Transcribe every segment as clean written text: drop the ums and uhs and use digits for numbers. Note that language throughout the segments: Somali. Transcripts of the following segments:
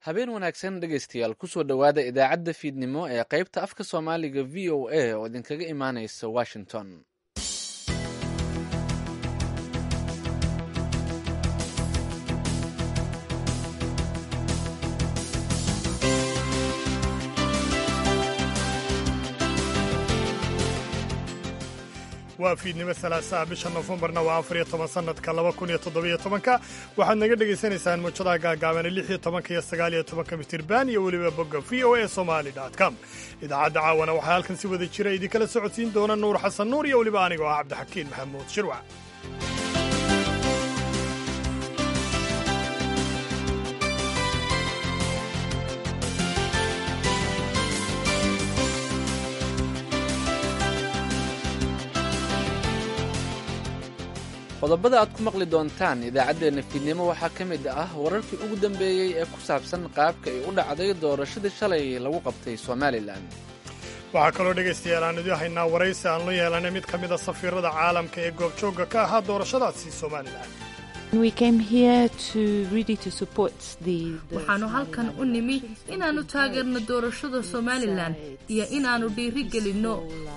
Habeen wanaagsan dhegaystayaal, kusoo dhowaada idaacadda fiidnimo ee qaybta afka Soomaaliga VOA oo idinkaga imaanaysa Washington. Waa fiidnimo salaasaha, bisha Nofembarna waa 14, sanadka 2017-ka. Waxaad naga dhegaysanaysaan muujadaha gaagaaban 16-ka iyo 19-ka mitirban iyo weliba bogga VOA Somali com. Idaacadda caawana waxaa halkan si wada jira idinkala socodsiin doona Nuur Xasan Nuur iyo weliba anigoo ah Cabdixakiin Maxamuud Shirwac. Qodobada aad ku maqli doontaan idaacaddeenna fiidnimo waxaa ka mid ah wararkii ugu dambeeyey ee ku saabsan qaabka ay u dhacday doorashadii shalay lagu qabtay Somalilan. Waxaa kaloo dhegaystayaal aan idin haynaa waraysi aan la yeelanay mid ka mid a safiirada caalamka ee goobjoogga ka ahaa doorashadaasi Somalilan. Waxaannu halkan u nimi inaannu taageerno doorashada Somalilan iyo inaannu dhiiri gelinno.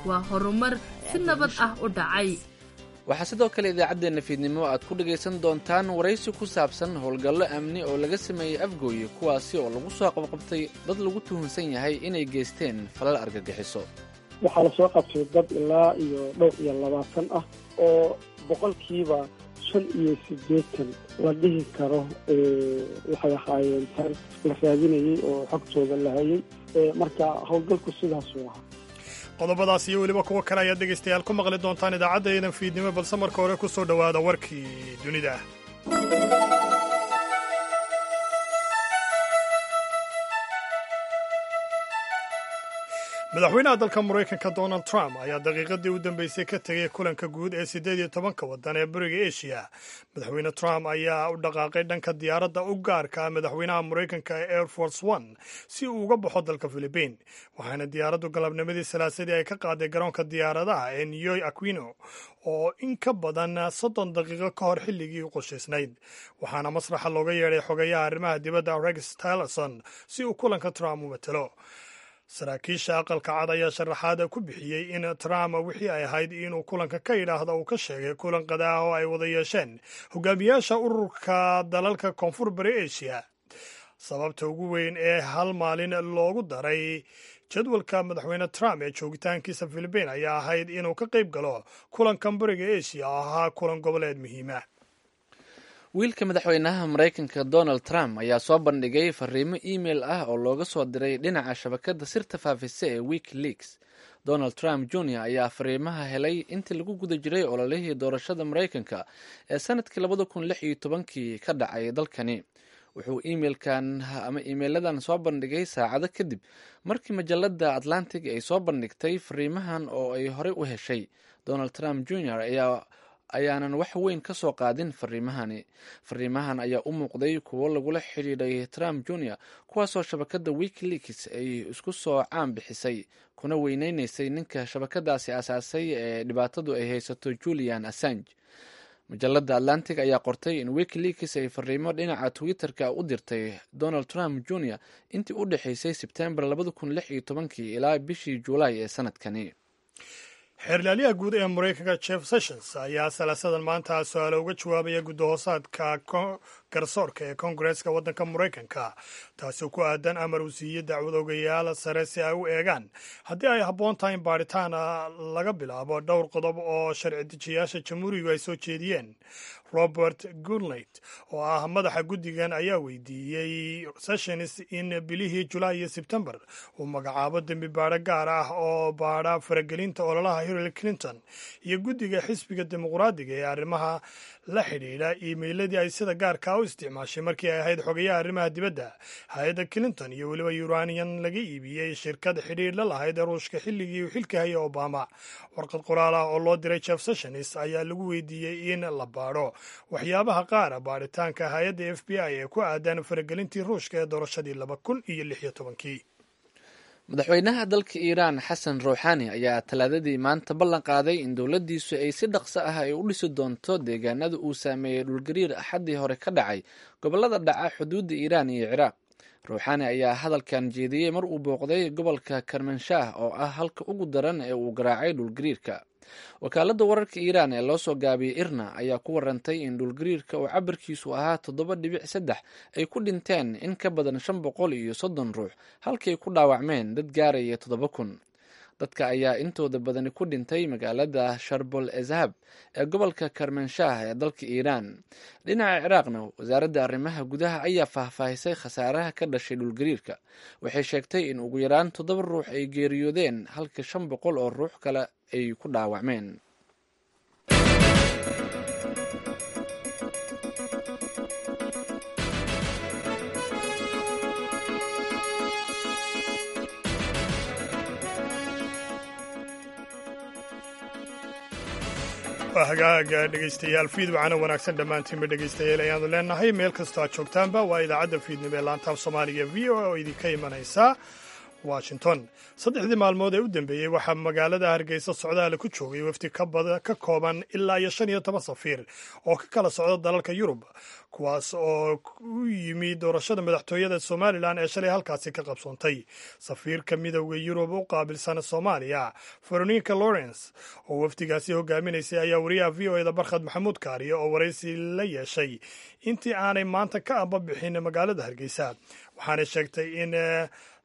Waa horumar si nabad ah u dhacay. Waxaa sidoo kale idaacaddeenna fiidnimo aad ku dhegaysan doontaan waraysi ku saabsan howlgallo amni oo laga sameeyey Afgooye, kuwaasi oo lagu soo qabqabtay dad lagu tuhunsan yahay inay geysteen falal argagixiso. Waxaa lasoo qabtay dad ilaa iyo dhowr iyo labaatan ah oo 85% la dhihi karo waxay ahaayeen tar la raadinayey oo xogtooda la hayay. Marka howlgalku sidaasuu ahaa. Qodobadaas iyo weliba kuwo kale ayaad dhegaystayaal ku maqli doontaan idaacadda fiidnimo, balse marka hore ku soo dhowaada warkii dunida. Madaxweynaha dalka Maraykanka Donald Trump ayaa daqiiqadii u dambeysay ka tegay kulanka guud ee 18-ka waddan ee bariga Asia. Madaxweyne Trump ayaa u dhaqaaqay dhanka diyaaradda u gaarka ah madaxweynaha Maraykanka ee Air Force One si uu uga baxo dalka Philibiin, waxaana diyaaraddu galabnimadii Salaasadii ay ka qaaday garoonka diyaaradaha ee Ninoy Aquino oo in ka badan 30 daqiiqo ka hor xilligii u qorshaysnayd. Waxaana masraxa looga yeedhay xogayaha arrimaha dibadda Rex Tillerson si uu kulanka Trump u matalo. Saraakiisha Aqalka Cad ayaa sharaxaada ku bixiyey in Trump wixii ay ahayd inuu kulanka ka yidhaahda uu ka sheegay kulan qadaah oo ay wada yeesheen hogaamiyaasha ururka dalalka Koonfur Bari Asia. Sababta ugu weyn ee hal maalin loogu daray jadwalka madaxweyne Trump ee joogitaankiisa Philibiin ayaa ahayd inuu ka qayb galo kulankan bariga Asia oo ahaa kulan goboleed muhiima. Wiilka madaxweynaha Maraykanka Donald Trump ayaa soo bandhigay fariimo email ah oo looga soo diray dhinaca shabakadda sirta faafisa ee WikiLeaks. Donald Trump Jr ayaa fariimaha helay intii lagu guda jiray ololihii doorashada Maraykanka ee sanadkii 2016-kii ka dhacay dalkani. Wuxuu iimailkan ama iimeyladan soo bandhigay saacado kadib markii majalada Atlantic ay soo bandhigtay fariimahan oo ay horey u heshay. Donald Trump Jr ayaa ayaanan wax weyn ka soo qaadin fariimahani. Fariimahan ayaa u muuqday kuwo lagula xidhiidhay Trump Jr, kuwaasoo shabakadda WikiLeaks ay isku soo caan bixisay kuna weyneyneysay ninka shabakadaasi aasaasay ee dhibaatadu ay haysato, Julian Assange. Majalada Atlantic ayaa qortay in WikiLeaks ay fariimo dhinaca Twitter-ka u dirtay Donald Trump Jr intii u dhexeysay Sebtembar 2016-kii ilaa bishii Juulaay ee sanadkani. Xeerlaalyaha guud ee Maraykanka Jeff Sessions ayaa Salaasadan maanta su-aalo uga jawaabaya gudahoosaadka garsoorka ee Koongareeska waddanka Maraykanka, taasoo ku aadan amar uu siiyey dacwad ogayaal sare si ay u eegaan haddii ay habboon tahay in baaritaan laga bilaabo dhowr qodob oo sharci dejiyaasha Jamhuurigu ay soo jeediyeen. Robert Goodlate oo ah madaxa guddigan ayaa weydiiyey Sessions in bilihii Julaay iyo Sebtembar uu magacaabo dembi baadho gaar ah oo baadha faragelinta ololaha Hillary Clinton iyo guddiga xisbiga Dimuqraadiga ee arrimaha la xidhiidha iimeyladii ay sida gaarkaa u isticmaashay markii ay ahayd xogayaha arrimaha dibadda hay-adda Clinton, iyo weliba uranian laga iibiyey shirkad xidhiidh la lahayd Ruushka xilligii uu xilka hayay Obama. Warqad qoraal ah oo loo diray Jeff Sessions ayaa lagu weydiiyey in la baadho waxyaabaha qaara baadhitaanka hay-adda FBI ee ku aadan faragelintii Ruushka ee doorashadii 2016-kii. Madaxweynaha dalka Iiraan Xasan Ruuxaani ayaa Talaadadii maanta ballan qaaday in dowladdiisu ay si dhaqso ah ay u dhisi doonto deegaanada uu saameeyey dhulgariir Axaddii hore ka dhacay gobollada dhaca xuduudda Iiraan iyo Ciraaq. Ruuxaani ayaa hadalkan jeediyey mar uu booqday gobolka Karmanshaah oo ah halka ugu daran ee uu garaacay dhulgariirka. Wakaaladda wararka Iiraan ee loo soo gaabiyey IRNA ayaa ku warantay in dhulgariirka oo cabirkiisu ahaa 7.3 ay ku dhinteen in ka badan 530 ruux, halkay ku dhaawacmeen dad gaaraya 7000. Dadka ayaa intooda badani ku dhintay magaalada Sharbol Ezhab ee gobolka Karmanshaah ee dalka Iiraan. Dhinaca Ciraaqna, wasaaradda arrimaha gudaha ayaa faahfaahisay khasaaraha ka dhashay dhulgariirka. Waxay sheegtay in ugu yaraan 7 ruux ay geeriyoodeen, halka 500 oo ruux kale ay ku dhaawacmeen. Waa hagaaga, dhegaystayaal. Fiid wacana wanaagsan dhammaantiinba, dhegaystayaal, ayaanu leenahay meel kastoo aad joogtaanba. Waa idaacadda fiidnimo ee laantaaf Soomaaliga VOA oo idinka imanaysa Washington. Saddexdii maalmood ee u dambeeyey waxaa magaalada Hargeysa socdaale ku joogay wafdi ka kooban ilaa iyo 15 safiir oo ka kala socda dalalka Yurub, kuwaas oo u yimi doorashada madaxtooyada Somalilan ee shalay halkaasi ka qabsoontay. Safiirka Midowda Yurub u qaabilsan Soomaaliya, Veronica Lawrence, oo wafdigaasi hogaaminaysay, ayaa wariyaha VOA da Barkhad Maxamuud Kaariye oo waraysi la yeeshay intii aanay maanta ka ambabixin magaalada Hargeysa, waxaanay sheegtay in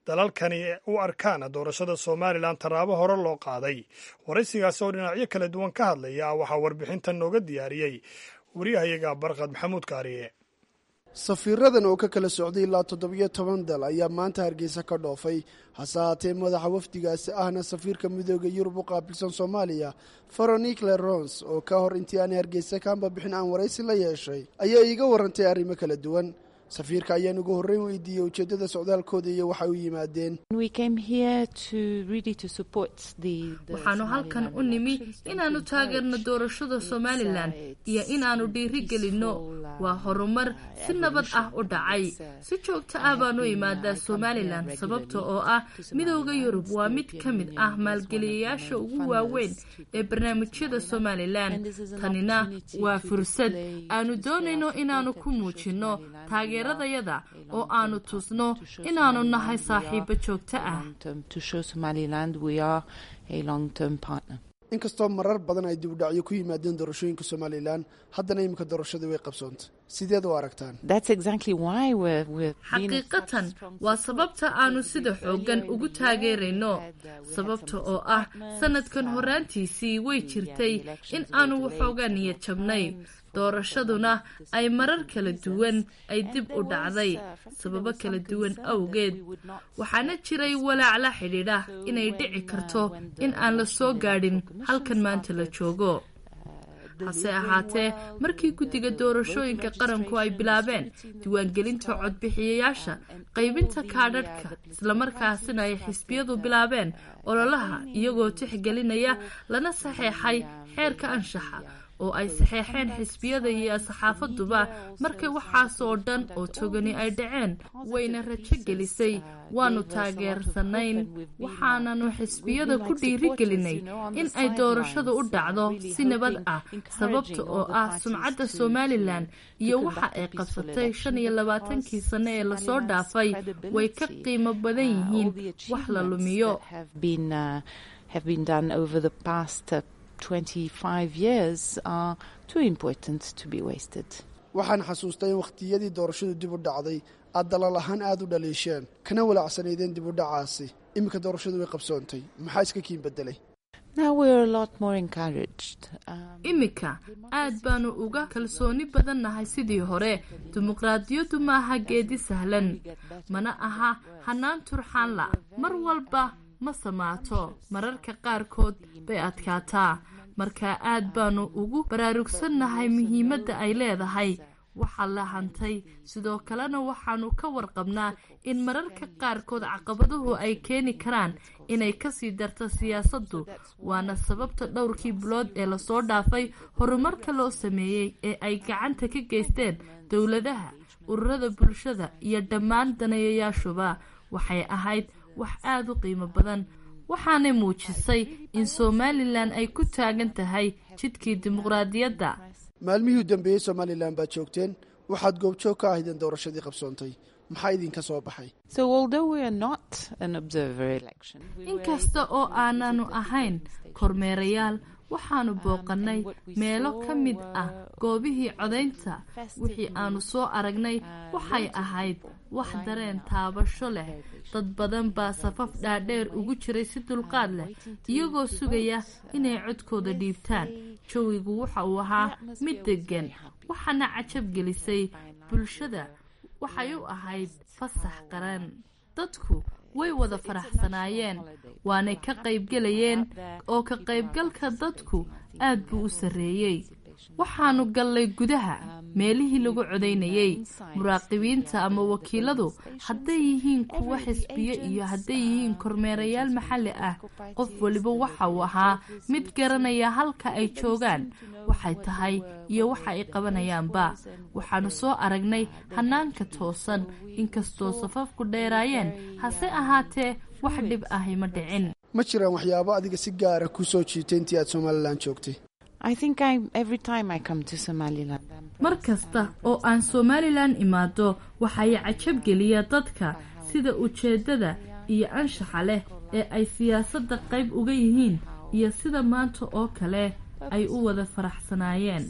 dalalkani u arkaan doorashada Somalilan tallaabo hore loo qaaday. Waraysigaasi oo dhinacyo kala duwan ka hadlaya waxaa warbixintan nooga diyaariyey wariyahayaga Barkhad Maxamuud Kaariye. Safiiradan oo ka kala socday ilaa 17 dal ayaa maanta Hargeysa ka dhoofay. Hase haatee, madaxa wafdigaasi ahna safiirka Midooda Yurub u qaabilsan Soomaaliya, Veronique Lerons, oo ka hor intii aanay Hargeysa ka ambabixin aan waraysi la yeeshay, ayaa iiga warantay arrimo kala duwan. Safiirka ayaan ugu horreyn weydiiyey ujeeddada socdaalkooda iyo waxay u yimaadeen. Waxaanu halkan u nimi inaannu taageerno doorashada Somalilan iyo inaannu dhiiri gelinno. Waa horumar si nabad ah u dhacay. Si joogto ah baanu imaadaa Somalilan, sababta oo ah Midowda Yurub waa mid ka mid ah maalgeliyayaasha ugu waaweyn ee barnaamijyada Somalilan. Tanina waa fursad aanu doonayno inaannu ku muujinno taageeradayada oo aanu tusno inaannu nahay saaxiibo joogto ah. Inkastoo marar badan ay dibudhacyo ku yimaadeen doorashooyinka Somalilan, haddana iminka doorashadii way qabsoontay. Sideed u aragtaan? Xaqiiqatan waa sababta aanu sida xooggan ugu taageerayno, sababta oo ah sanadkan horaantiisii way jirtay in aanu waxoogaa niyad jabnay, doorashaduna ay marar kala duwan ay dib u dhacday sababo kala duwan awgeed. Waxaana jiray walaac la xidhiidha inay dhici karto in aan la soo gaadhin halkan maanta la joogo. Hase ahaatee, markii guddiga doorashooyinka qaranku ay bilaabeen diiwaangelinta codbixiyayaasha, qaybinta kaadhadhka, islamarkaasina ay xisbiyadu bilaabeen ololaha iyagoo tixgelinaya lana saxeexay xeerka anshaxa oo ay saxeexeen xisbiyada iyo saxaafaduba, markay waxaas oo dhan oo togani ay dhaceen, wayna rajo gelisay. Waanu taageersanayn, waxaananu xisbiyada ku dhiirigelinay in ay doorashadu u dhacdo si nabad ah, sababta oo ah sumcadda Somalilan iyo waxa ay qabsatay 25-kii sano ee lasoo dhaafay way ka qiimo badan yihiin wax la lumiyo. Waxaan xasuustay in wakhtiyadii doorashadu dib u dhacday aad dalal ahaan aada u dhaliisheen kana walaacsanaydeen dib u dhacaasi. Iminka doorashadu way qabsoontay, maxaa iska kiin bedelay? Iminka aad baanu uga kalsooni badannahay sidii hore. Dimuqraadiyaddu maaha geedi sahlan, mana aha hanaan turxaanla. Mar walba ma samaato, mararka qaarkood bay adkaataa. Marka aad baanu ugu baraarugsannahay muhiimadda ay leedahay waxaa la hantay. Sidoo kalena waxaanu ka warqabnaa in mararka qaarkood caqabaduhu ay keeni karaan inay kasii darto siyaasaddu. Waana sababta dhowrkii bilood ee lasoo dhaafay horumarka loo sameeyey ee ay gacanta ka geysteen dowladaha, ururada bulshada iyo dhammaan daneeyayaashuba waxay ahayd wax aada u qiimo badan, waxaanay muujisay in Somalilan ay ku taagan tahay jidkii dimuqraadiyadda. Maalmihii u dambeeyey Somalilan baad joogteen, waxaad goobjoog ka ahaydeen doorashadii qabsoontay. Maxaa idinka soo baxay? Inkasta oo aananu ahayn kormeerayaal, waxaanu booqannay meelo ka mid ah goobihii codaynta. Wixii aanu soo aragnay waxay ahayd wax dareen taabasho leh. Dad badan baa safaf dhaadheer ugu jiray si dulqaad leh, iyagoo sugaya inay codkooda dhiibtaan. Jawigu waxa uu ahaa mid deggan, waxaana cajab gelisay bulshada. Waxay u ahayd fasax qaran. Dadku way wada faraxsanaayeen, waanay ka qaybgelayeen, oo ka qaybgalka dadku aad buu u sarreeyey. Waxaanu gallay gudaha meelihii lagu codaynayey. Muraaqibiinta ama wakiiladu, hadday yihiin kuwo xisbiyo iyo hadday yihiin kormeerayaal maxalli ah, qof waliba waxa uu ahaa mid garanaya halka ay joogaan, waxay tahay iyo waxa ay qabanayaanba. Waxaanu soo aragnay hanaanka toosan. Inkastoo safafku dheeraayeen, hase ahaatee wax dhib ahi ma dhicin. Ma jiraan waxyaabo adiga si gaara ku soo jiitay intii aad Somalilan joogtay? Mar kasta oo aan Somalilan imaado, waxay cajab geliya dadka sida ujeeddada iyo anshaxa leh ee ay siyaasadda qayb uga yihiin, iyo sida maanta oo kale ay u wada faraxsanaayeen.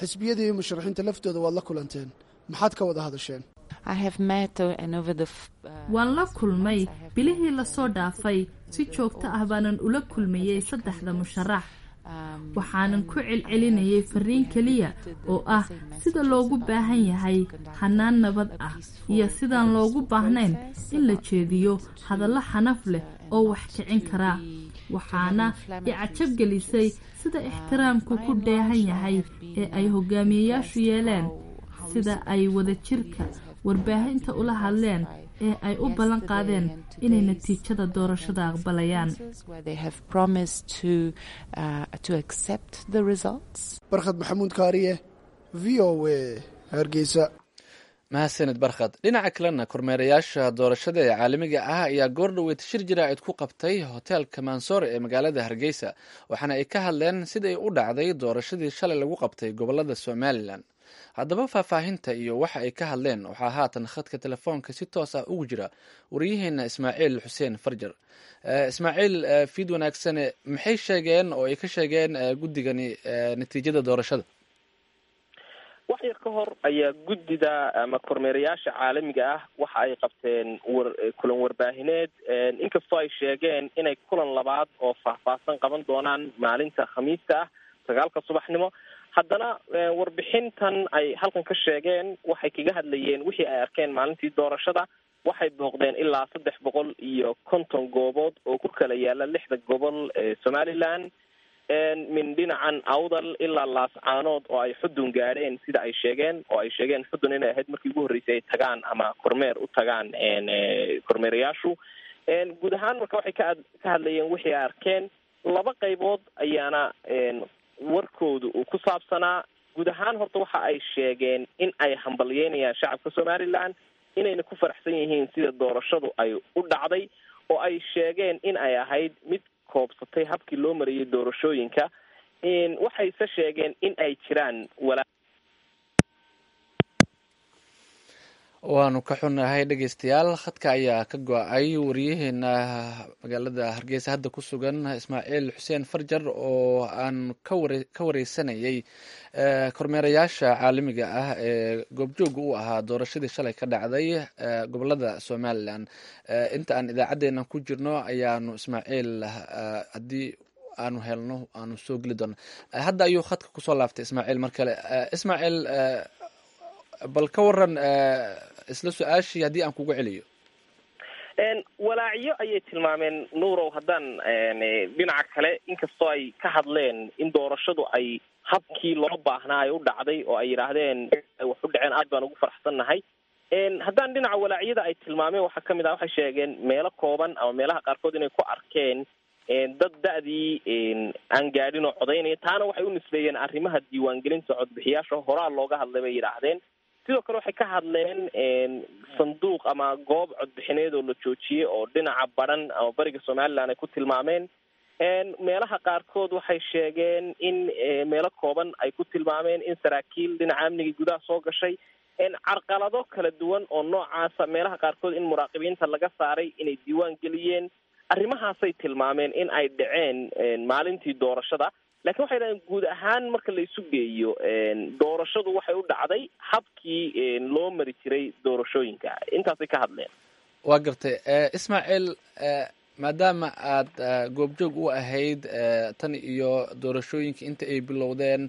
Xisbiyada iyo musharaxiinta laftooda waad la kulanteen. Maxaad ka wada hadasheen? Waan la kulmay bilihii lasoo dhaafay. Si joogto ah baanan ula kulmayey saddexda musharax. Waxaanan ku celcelinayay fariin keliya oo ah sida loogu baahan yahay hanaan nabad ah iyo sidaan loogu baahnayn in la jeediyo hadallo xanaf leh oo wax kicin kara. Waxaana i cajab gelisay sida ixtiraamku ku dheehan yahay ee ay hogaamiyeyaashu yeeleen, sida ay wadajirka warbaahinta ula hadleen ee ay u ballan qaadeen inay natiijada doorashada aqbalayaan. Barkhad Maxamuud Kaariye, VOA, Hargeysa. Mahadsanid, Barkhad. Dhinaca kalena, kormeerayaasha doorashada ee caalamiga ah ayaa goordhoweyd shir jaraa'id ku qabtay hoteelka Mansoore ee magaalada Hargeysa, waxaana ay ka hadleen siday u dhacday doorashadii shalay lagu qabtay gobolada Somalilan. Haddaba faahfaahinta iyo waxa ay ka hadleen waxaa haatan khadka telefoonka si toos ah ugu jira wariyaheena Ismaaciil Xuseen Farjar. Ismaaciil, fiid wanaagsane. Maxay sheegeen oo ay ka sheegeen guddigani natiijada doorashada? Wax yar ka hor ayaa guddida ama kormeerayaasha caalamiga ah waxa ay qabteen kulan warbaahineed, inkastoo ay sheegeen inay kulan labaad oo faahfaahsan qaban doonaan maalinta Khamiista ah 9-ka subaxnimo. Haddana warbixintan ay halkan ka sheegeen waxay kaga hadlayeen wixii ay arkeen maalintii doorashada. Waxay booqdeen ilaa 350 goobood oo ku kala yaala lixda gobol ee Somaliland, min dhinacan Awdal ilaa Laascaanood, oo ay Xudun gaadheen sida ay sheegeen, oo ay sheegeen Xudun inay ahayd markii ugu horreysay ay tagaan ama kormeer u tagaan kormeerayaashu guud ahaan. Marka waxay ka hadlayeen wixii ay arkeen. Laba qaybood ayaana warkoodu uu ku saabsanaa. Guud ahaan horta waxa ay sheegeen in ay hambalyeynayaan shacabka Somaliland, inayna ku faraxsan yihiin sida doorashadu ay u dhacday, oo ay sheegeen in ay ahayd mid koobsatay habkii loo mariyay doorashooyinka. Waxayse sheegeen in ay jiraan walaa Waanu ka xunnahay, dhegeystayaal, khadka ayaa ka go-ay wariyaheena magaalada Hargeysa hadda ku sugan, Ismaaciil Xuseen Farjar, oo aan ka wareysanayay kormeerayaasha caalamiga ah ee goobjooga u ahaa doorashadii shalay ka dhacday gobolada Somalilan. Inta aan idaacaddeenna ku jirno ayaanu Ismaaciil, haddii aanu helno, aanu soo geli doona. Hadda ayuu khadka kusoo laaftay Ismaaciil mar kale. Ismaaciil, bal ka waran isla su-aashii haddii aan kugu celiyo. Walaacyo ayay tilmaameen, Nuurow. Haddaan dhinaca kale, inkastoo ay ka hadleen in doorashadu ay habkii loo baahnaa ay u dhacday, oo ay yidhaahdeen wax u dhaceen aad baan ugu faraxsannahay, haddaan dhinaca walaacyada ay tilmaameen waxaa kamid ah, waxay sheegeen meelo kooban ama meelaha qaarkood inay ku arkeen dad da-dii aan gaadhin oo codaynaya. Taana waxay u nisbeeyeen arrimaha diiwaangelinta codbixiyaasha, horaa looga hadlay bay yidhaahdeen. Sidoo kale waxay ka hadleen sanduuq ama goob codbixineed oo la joojiyey oo dhinaca baran ama bariga Somaliland ay ku tilmaameen. Meelaha qaarkood waxay sheegeen in meelo kooban ay ku tilmaameen in saraakiil dhinaca amniga gudaha soo gashay, carqalado kala duwan oo noocaasa, meelaha qaarkood in muraaqibiinta laga saaray inay diiwaan geliyeen. Arrimahaasay tilmaameen in ay dhaceen maalintii doorashada. Lakiin waxay dhahdeen guud ahaan marka la isu geeyo doorashadu waxay u dhacday habkii loo mari jiray doorashooyinka. Intaasay ka hadleen. Waa gartay, Ismaaciil, maadaama aad goobjoog u ahayd tan iyo doorashooyinka inta ay bilowdeen,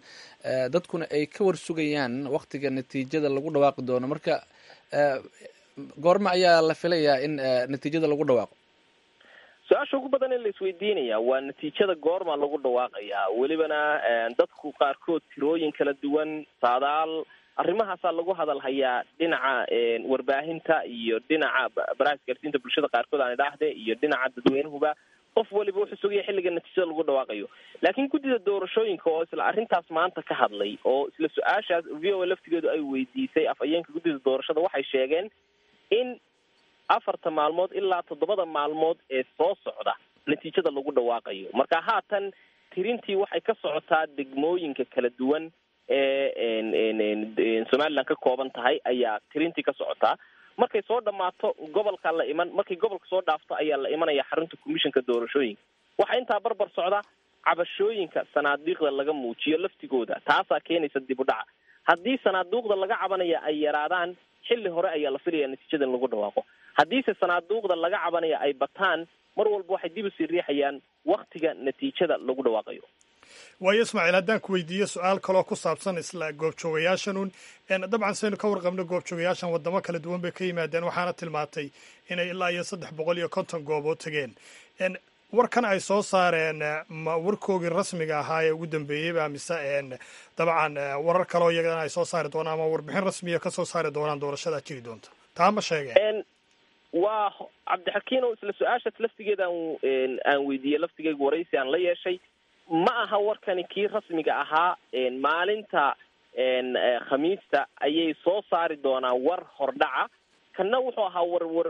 dadkuna ay ka warsugayaan waktiga natiijada lagu dhawaaqi doono, marka goorma ayaa la filayaa in natiijada lagu dhawaaqo? Su-aasha ugu badan ee la isweydiinaya waa natiijada goorma lagu dhawaaqayaa. Welibana dadku qaarkood tirooyin kala duwan, saadaal, arrimahaasaa lagu hadal hayaa dhinaca warbaahinta iyo dhinaca baraha isgaarsiinta bulshada qaarkood aan idhaahde iyo dhinaca dadweynuhuba. Qof waliba wuxuu sugaya xilliga natiijada lagu dhawaaqayo. Laakiin guddida doorashooyinka oo isla arrintaas maanta ka hadlay oo isla su-aashaas VOA laftigeedu ay weydiisay afhayeenka guddida doorashada, waxay sheegeen in 4ta maalmood ilaa 7da maalmood ee soo socda natiijada lagu dhawaaqayo. Marka haatan tirintii waxay ka socotaa degmooyinka kala duwan ee Somaliland ka kooban tahay ayaa tirintii ka socotaa. Markay soo dhammaato gobolka la iman, markay gobolka soo dhaafto ayaa la imanaya xarunta commissionka doorashooyinka. Waxaa intaa barbar socda cabashooyinka sanaadiiqda laga muujiyo laftigooda, taasaa keenaysa dib u dhaca. Haddii sanaaduuqda laga cabanaya ay yaraadaan, xilli hore ayaa la filaya natiijada in lagu dhawaaqo. Haddiise sanaaduuqda laga cabanaya ay bataan, mar walba waxay dib usii riixayaan waktiga natiijada lagu dhawaaqayo. Waayo Ismaaciil, haddaan ku weydiiyo su-aal kaloo ku saabsan isla goobjoogayaashan un, dabcan saynu ka warqabno goobjoogayaashan waddamo kala duwan bay ka yimaadeen, waxaana tilmaantay inay ilaa iyo 350 goobood tegeen. Warkan ay soo saareen ma warkoogii rasmiga ahaa ee ugu dambeeyeyba, mise dabcan warar kaloo iyagana ay soo saari doonaan ama warbixin rasmiya ka soo saari doonaan doorashadaa jiri doonta, taa ma sheegeen? Waa Cabdixakiin oo isla su-aashaas laftigeeda aan weydiiyey laftigeyga waraysi aan la yeeshay. Ma aha warkani kii rasmiga ahaa. Maalinta Khamiista ayay soo saari doonaan war hordhaca. Kanna wuxuu ahaa warwar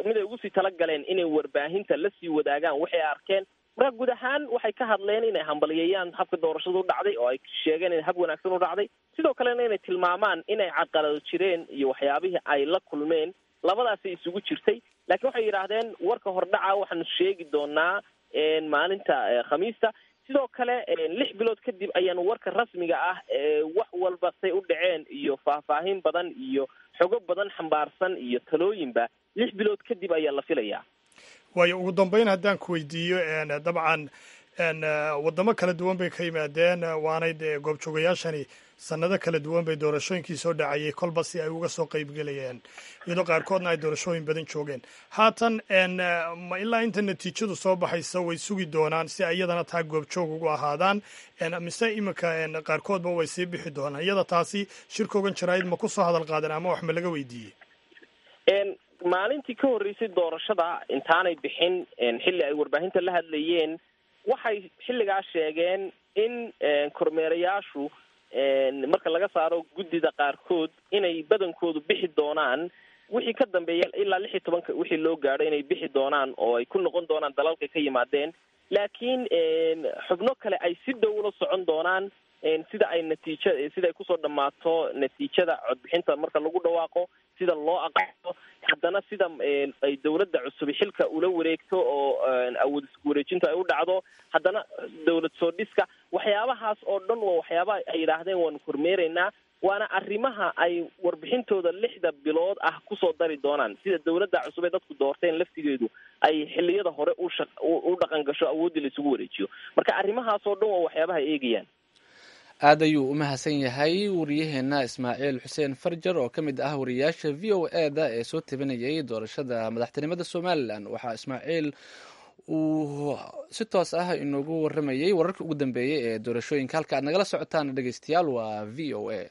mid ay ugu sii talagaleen inay warbaahinta lasii wadaagaan waxay arkeen. Marka guud ahaan waxay ka hadleen inay hambalyeeyaan habka doorashada u dhacday oo ay sheegeen inay hab wanaagsan u dhacday, sidoo kalena inay tilmaamaan inay caqalado jireen iyo waxyaabihii ay la kulmeen. Labadaasay isugu jirtay. Laakiin waxay yidhaahdeen warka hordhaca waxaanu sheegi doonaa maalinta Khamiista. Sidoo kale 6 bilood kadib ayaanu warka rasmiga ah wax walba say u dhaceen iyo faahfaahin badan iyo xogo badan xambaarsan iyo talooyinba 6 bilood kadib ayaa la filayaa. Waayo, ugu dambeyn haddaan ku weydiiyo, dabcan waddamo kala duwan bay ka yimaadeen, waanay dee goobjoogayaashani sanado kala duwan bay doorashooyinkii soo dhacayay kolba si ay uga soo qaybgelayeen, iyadoo qaarkoodna ay doorashooyin badan joogeen. Haatan ma ilaa inta natiijadu soo baxaysa way sugi doonaan si ay iyadana taa goobjoog ugu ahaadaan, mise iminka qaarkoodba way sii bixi doonaan? Iyada taasi shirkoogan jaraa'id ma ku soo hadal qaadeen ama wax ma laga weydiiyey? Maalintii ka horreysay doorashada intaanay bixin, xilli ay warbaahinta la hadlayeen, waxay xilligaa sheegeen in kormeerayaashu marka laga saaro guddida qaarkood inay badankoodu bixi doonaan wixii ka dambeeya ilaa 16-ka wixii loo gaadho, inay bixi doonaan oo ay ku noqon doonaan dalalka ka yimaadeen. Laakiin xubno kale ay si dhow ula socon doonaan sida ay natiija sida ay kusoo dhammaato natiijada codbixinta marka lagu dhawaaqo, sida loo aqaano, haddana sida ay dawladda cusubi xilka ula wareegto oo awood isku wareejinta ay u dhacdo, haddana dawlad soo dhiska. Waxyaabahaas oo dhan waa waxyaabaha ay yidhaahdeen waanu kormeeraynaa, waana arrimaha ay warbixintooda 6da bilood ah kusoo dari doonaan, sida dawladda cusub ee dadku doorteen laftigeedu ay xilliyada hore u dhaqan gasho, awooddii la isugu wareejiyo. Marka arrimahaas oo dhan waa waxyaabaha ay eegayaan. Aad ayuu u mahadsan yahay wariyaheena Ismaaciil Xuseen Farjar oo ka mid ah wariyaasha VOA da ee soo tabinayay doorashada madaxtinimada Somaliland. Waxaa Ismaaciil uu si toos ah inoogu waramayay wararka ugu dambeeyey ee doorashooyinka. Halka aad nagala socotaan, dhegeystayaal, waa VOA.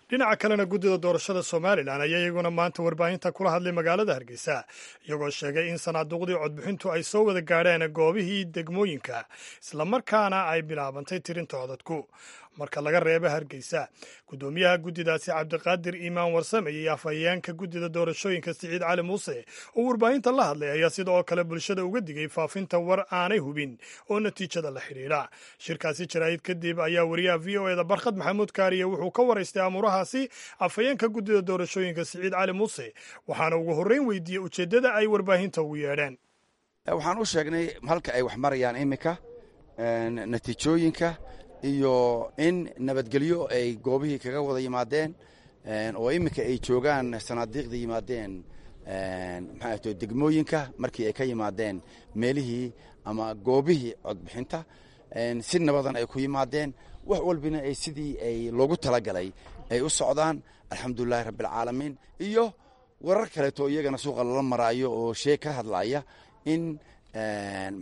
Dhinaca kalena, guddida doorashada Somalilan ayaa iyaguna maanta warbaahinta kula hadlay magaalada Hargeysa, iyagoo sheegay in sanaaduuqdii codbixintu ay soo wada gaadheen goobihii degmooyinka, islamarkaana ay bilaabantay tirinta codadku marka laga reebo Hargeysa. Guddoomiyaha guddidaasi, Cabdiqaadir Iimaan Warsame, iyo afhayeenka guddida doorashooyinka, Siciid Cali Muuse, oo warbaahinta la hadlay ayaa sidoo kale bulshada uga digay faafinta war aanay hubin oo natiijada la xidhiidha. Shirkaasi jaraa'id kadib ayaa wariyaha VOA da Barkhad Maxamuud Kaariye wuxuu ka waraystay amuurahaasi afhayeenka guddida doorashooyinka, Siciid Cali Muuse, waxaana ugu horreyn weydiiyey ujeeddada ay warbaahinta ugu yeedheen. Waxaan u sheegnay halka ay wax marayaan iminka, natiijooyinka iyo in nabadgelyo ay goobihii kaga wada yimaadeen oo iminka ay joogaan sanaadiiqda yimaadeen, maxaa to, degmooyinka markii ay ka yimaadeen meelihii ama goobihii codbixinta, si nabadan ay ku yimaadeen, wax walbina ay sidii ay loogu talagalay ay u socdaan, alxamdulilahi rabbialcaalamiin. Iyo warar kaleeto iyagana suuqa lala maraayo oo sheeg ka hadlaya in,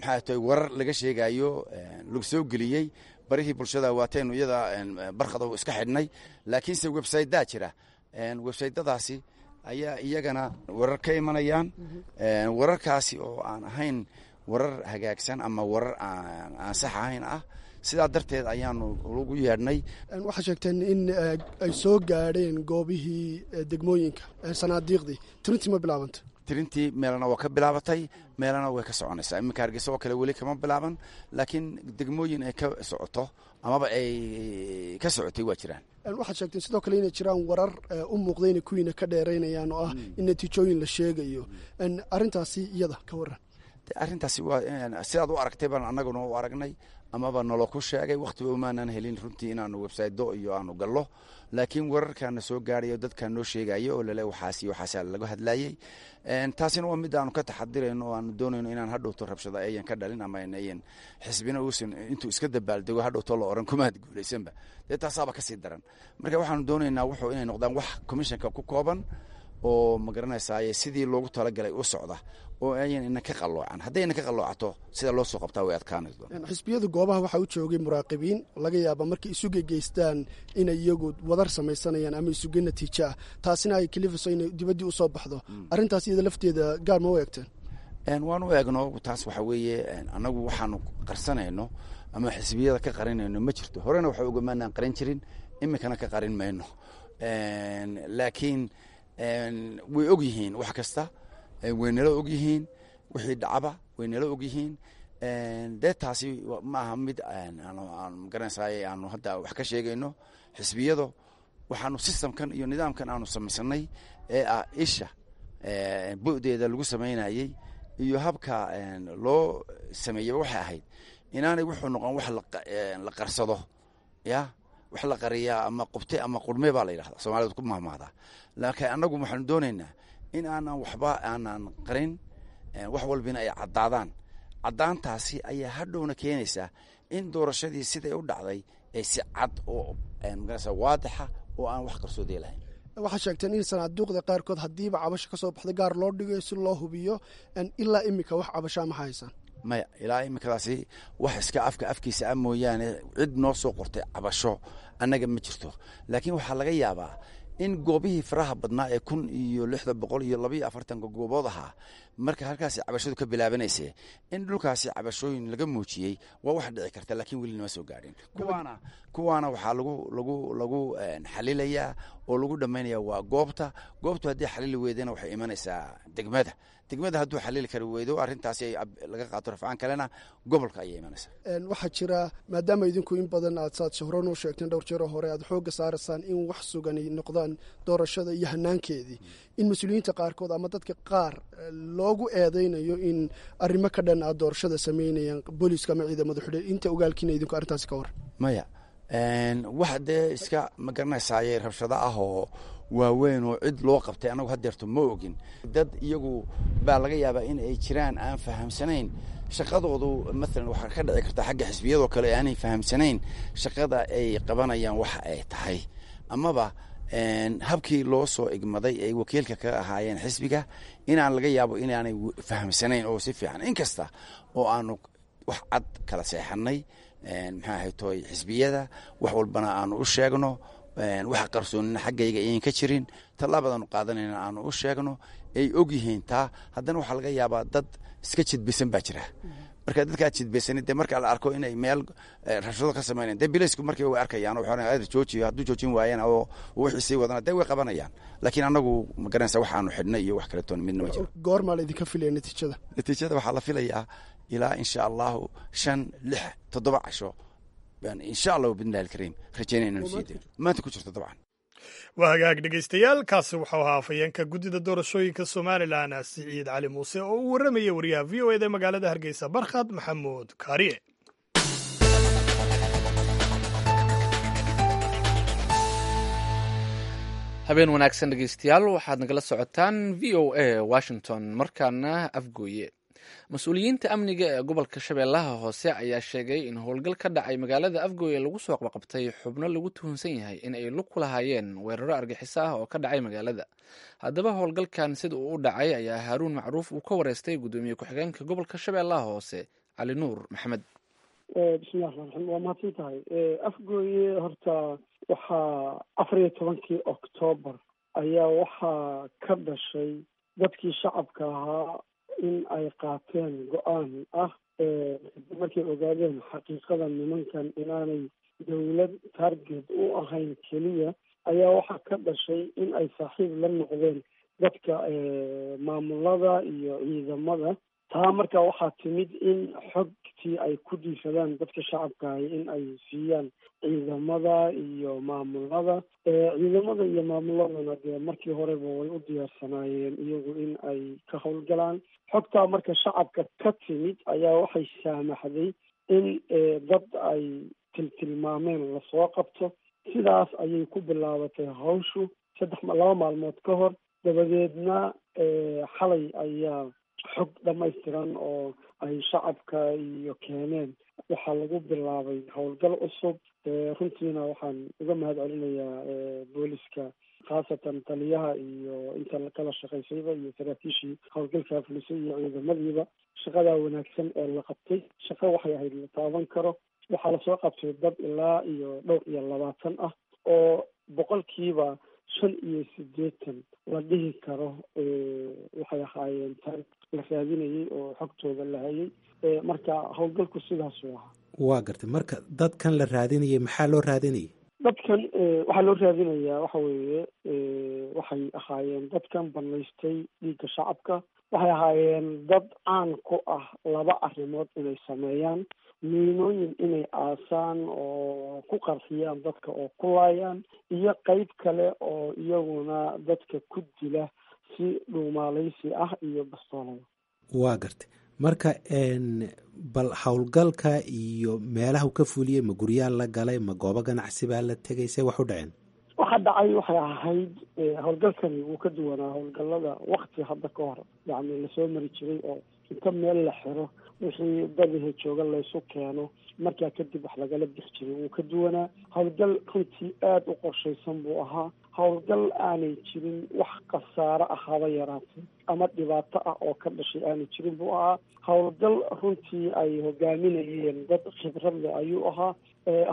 maxaa to, warar laga sheegayo lagu soo geliyey barihii bulshada. Waataynu iyada barkado iska xidhnay, laakiinse websaydaa jira. Websaytadaasi ayaa iyagana warar ka imanayaan, wararkaasi oo aan ahayn warar hagaagsan ama warar aan sax ahayn ah. Sidaa darteed ayaanu lagu yeedhnay. Waxaa sheegteen in ay soo gaadheen goobihii degmooyinka sanaadiiqdii. Tirintii ma bilaabantay? Tirintii meelana waa ka bilaabatay, meelana way ka soconaysaa. Iminka Hargeysa oo kale weli kama bilaaban, laakiin degmooyin ay ka socoto amaba ay ka socotay waa jiraan. Waxaad sheegteen sidoo kale inay jiraan warar u muuqda inay kuwiina ka dheeraynayaan oo ah in natiijooyin la sheegayo. Arrintaasi iyada ka waran. Arrintaasi waa sidaad u aragtay baan annaguna u aragnay amaba nalo ku sheegay. Wakhtiba umaanan helin runtii inaanu websaydo iyo aanu gallo, laakiin wararkaana soo gaarayo, dadkaa noo sheegayo oo lale waxaas iyo waxaasa laga hadlayey. Taasina waa mid aanu ka taxadirayno oo aanu doonayno inaan hadhowto rabshada ayan ka dhalin ama ayan xisbina uusan intuu iska dabaaldego hadhowto la oran kumaad guulaysanba. Dee taasaaba kasii daran. Marka waxaanu doonaynaa wuxuu inay noqdaan wax commissionka ku kooban oo, ma garanaysaaye, sidii loogu talagalay u socda oo ayan ina ka qalloocan. Hadday ina ka qalloocato, sida loo soo qabtaa way adkaanayso. Xisbiyadu goobaha waxaa u joogay muraaqibiin. Laga yaaba markay isuge geystaan inay iyagu wadar samaysanayaan ama isuge natiijo ah, taasina ay kalifiso inay dibaddii usoo baxdo. Arrintaas iyada lafteeda gaar ma u eegteen? Waan u eegno. Taas waxa weeye, annagu waxaanu qarsanayno ama xisbiyada ka qarinayno ma jirto. Horena waxa ogamaanaan qarin jirin, iminkana ka qarin mayno, laakiin way og yihiin wax kasta, way nala og yihiin wixii dhacaba, way nala og yihiin. Dee taasi ma aha mid aan magaranaysaay aanu hadda wax ka sheegayno xisbiyadu. Waxaanu systemkan iyo nidaamkan aanu samaysanay ee ah isha bu'deeda lagu samaynayey iyo habka loo sameeyeyba waxay ahayd inaanay wuxuu noqon wax la qarsado, ya wax la qariyaa ama qubte ama qurme baa la yidhahda, Soomaalida ku mahmaahdaa. Laakiin annagu waxaanu doonaynaa in aanan waxba aanan qarin, wax walbina ay caddaadaan. Caddaantaasi ayaa hadhowna keenaysaa in doorashadii siday u dhacday ay si cad oo, magarasa, waadixa oo aan wax qarsoodiya lahayn. Waxaad sheegteen in sanaaduuqda qaarkood haddiiba cabasho ka soo baxda gaar loo dhigayo si loo hubiyo. Ilaa iminka wax cabashaa ma haysaan? Maya, ilaa iminkadaasi wax iska afka afkiisa ah mooyaane, cid noo soo qortay cabasho annaga ma jirto. Laakiin waxaa laga yaabaa in goobihii faraha badnaa ee 1642 goobood ahaa, marka halkaasi cabashadu ka bilaabanaysa, in dhulkaasi cabashooyin laga muujiyey waa wax dhici karta, laakiin weli nama soo gaadhin. Kuwaana waxaa lagu xalilayaa oo lagu dhammaynaya waa goobta. Goobtu haddii xalili weydana, waxay imanaysaa degmada. Degmada hadduu xalili kari weydo arrintaasi laga qaato rafcaan kalena, gobolka ayay imanaysaa. Waxaa jira, maadaama idinku in badan aad saad hore noo sheegteen dhowr jeero hore aad xoogga saaraysaan in wax sugani noqdaan doorashada iyo hanaankeedii, in mas-uuliyiinta qaarkood ama dadka qaar loogu eedeynayo in arrimo ka dhan aad doorashada sameynayaan, booliiska ama ciidamada xidhe, inta ogaalkiina idinku arrintaasi ka war? Maya, wax dee iska, ma garanaysaaye, rabshado ah oo waaweyn oo cid loo qabtay annagu haddeerto ma ogin. Dad iyagu baa laga yaabaa in ay jiraan aan fahamsanayn shaqadoodu. Maalan waxaa ka dhici karta xagga xisbiyadoo kale aanay fahamsanayn shaqada ay qabanayaan waxa ay tahay, amaba habkii loo soo igmaday ay wakiilka kaga ahaayeen xisbiga inaan laga yaabo inaanay fahamsanayn oo si fiican. Inkasta oo aanu wax cad kala seexanay, maxaa ahay toy, xisbiyada wax walbana aanu u sheegno Wax qarsoonina xaggayga ayan ka jirin, tallaabadaanu qaadanayna aanu u sheegno ay og yihiin taa. Haddana waxaa laga yaabaa dad iska jidbaysan baa jira. Marka dadkaa jidbaysan dee marka la arko inay meel rabshado ka samaynayan, dee bilaysku markiiba way arkayaan, waxay joojiyo. Hadduu joojin waayana oo wixii sii wadana, dee way qabanayaan. Laakiin annagu ma garanaysa waxaanu xidhnay iyo wax kaletoon midna ma jiro. Goormaa la idinka filaya natiijada? Natiijada waxaa la filayaa ilaa insha Allahu 5, 6, 7 casho baan insha Allahu bidnillahi alkariim rajaynaya inanu sii dayo maanta ku jirto dabcan. Waa hagaag dhegaystayaal, kaasi wuxuu ahaa afhayeenka guddida doorashooyinka Somalilan Siciid Cali Muuse oo u warramayay wariyaha VOA da magaalada Hargeysa Barkhad Maxamuud Kaariye. Habeen wanaagsan dhegeystayaal, waxaad nagala socotaan VOA Washington. Markaana Afgooye. Mas-uuliyiinta amniga ee gobolka Shabeellaha Hoose ayaa sheegay in howlgal ka dhacay magaalada Afgooye lagu soo qabqabtay xubno lagu tuhunsan yahay in ay lug ku lahaayeen weeraro argaxiso ah oo ka dhacay magaalada. Haddaba howlgalkan sida uu u dhacay ayaa Haaruun Macruuf uu ka wareystay guddoomiye ku-xigeenka gobolka Shabeellaha Hoose Cali Nuur Maxamed. Bismillahi raxmaan raxiim, waa mahadsan tahay. Afgooye horta waxaa 14-kii Octoobar ayaa waxaa ka dhashay dadkii shacabka ahaa in ay qaateen go-aan ah markay ogaadeen xaqiiqada nimankan inaanay dawlad target u ahayn keliya, ayaa waxaa ka dhashay in ay saaxiib la noqdeen dadka maamulada iyo ciidamada. Taa marka waxaa timid in xogtii ay ku dhiifadaan dadka shacabka ahi in ay siiyaan ciidamada iyo maamulada. Ciidamada iyo maamuladana dee markii horeba way u diyaarsanaayeen iyagu in ay ka howlgalaan. Xogtaa marka shacabka ka timid ayaa waxay saamaxday in dad ay tiltilmaameen lasoo qabto. Sidaas ayay ku bilaabatay hawshu 2 maalmood ka hor. Dabadeedna xalay ayaa xog dhammaystiran oo ay shacabka iyo keeneen waxaa lagu bilaabay howlgal cusub. Runtiina waxaan uga mahad celinayaa booliska, khaasatan taliyaha iyo inta kala shaqaysayba iyo saraakiishii howlgalkaa fulisay iyo ciidamadiiba shaqadaa wanaagsan ee la qabtay. Shaqo waxay ahayd la taaban karo. Waxaa lasoo qabtay dad ilaa iyo dhowr iyo 20 ah oo 85% la dhihi karo waxay ahaayeen tar la raadinayay oo xogtooda la hayay. Marka howlgalku sidaasuu ahaa. Waa gartay. Marka dadkan la raadinayay maxaa loo raadinayay? Dadkan waxaa loo raadinayaa waxa weeye waxay ahaayeen dadkan banaystay dhiigga shacabka. Waxay ahaayeen dad caan ku ah laba arrimood inay sameeyaan: miinooyin inay aasaan oo ku qarxiyaan dadka oo ku laayaan, iyo qeyb kale oo iyaguna dadka ku dila si dhuumaaleysi ah iyo bastoolada. Waa gartay. Marka bal howlgalka iyo meelaha u ka fuliyey, ma guryaa la galay, ma goobo ganacsi baa la tegay, see wax u dhaceen? Waxa dhacay waxay ahayd howlgalkani wuu ka duwanaa howlgallada wakti hadda ka hor yacni lasoo mari jiray oo inta meel la xiro wixii dadaha jooga laysu keeno, markaa kadib wax lagala bixi jiray. Wuu ka duwanaa. Howlgal runtii aada u qorshaysan buu ahaa. Howlgal aanay jirin wax khasaare ah haba yaraatay ama dhibaato ah oo ka dhashay aanay jirin buu ahaa. Howlgal runtii ay hogaaminayeen dad khibrad leh ayuu ahaa.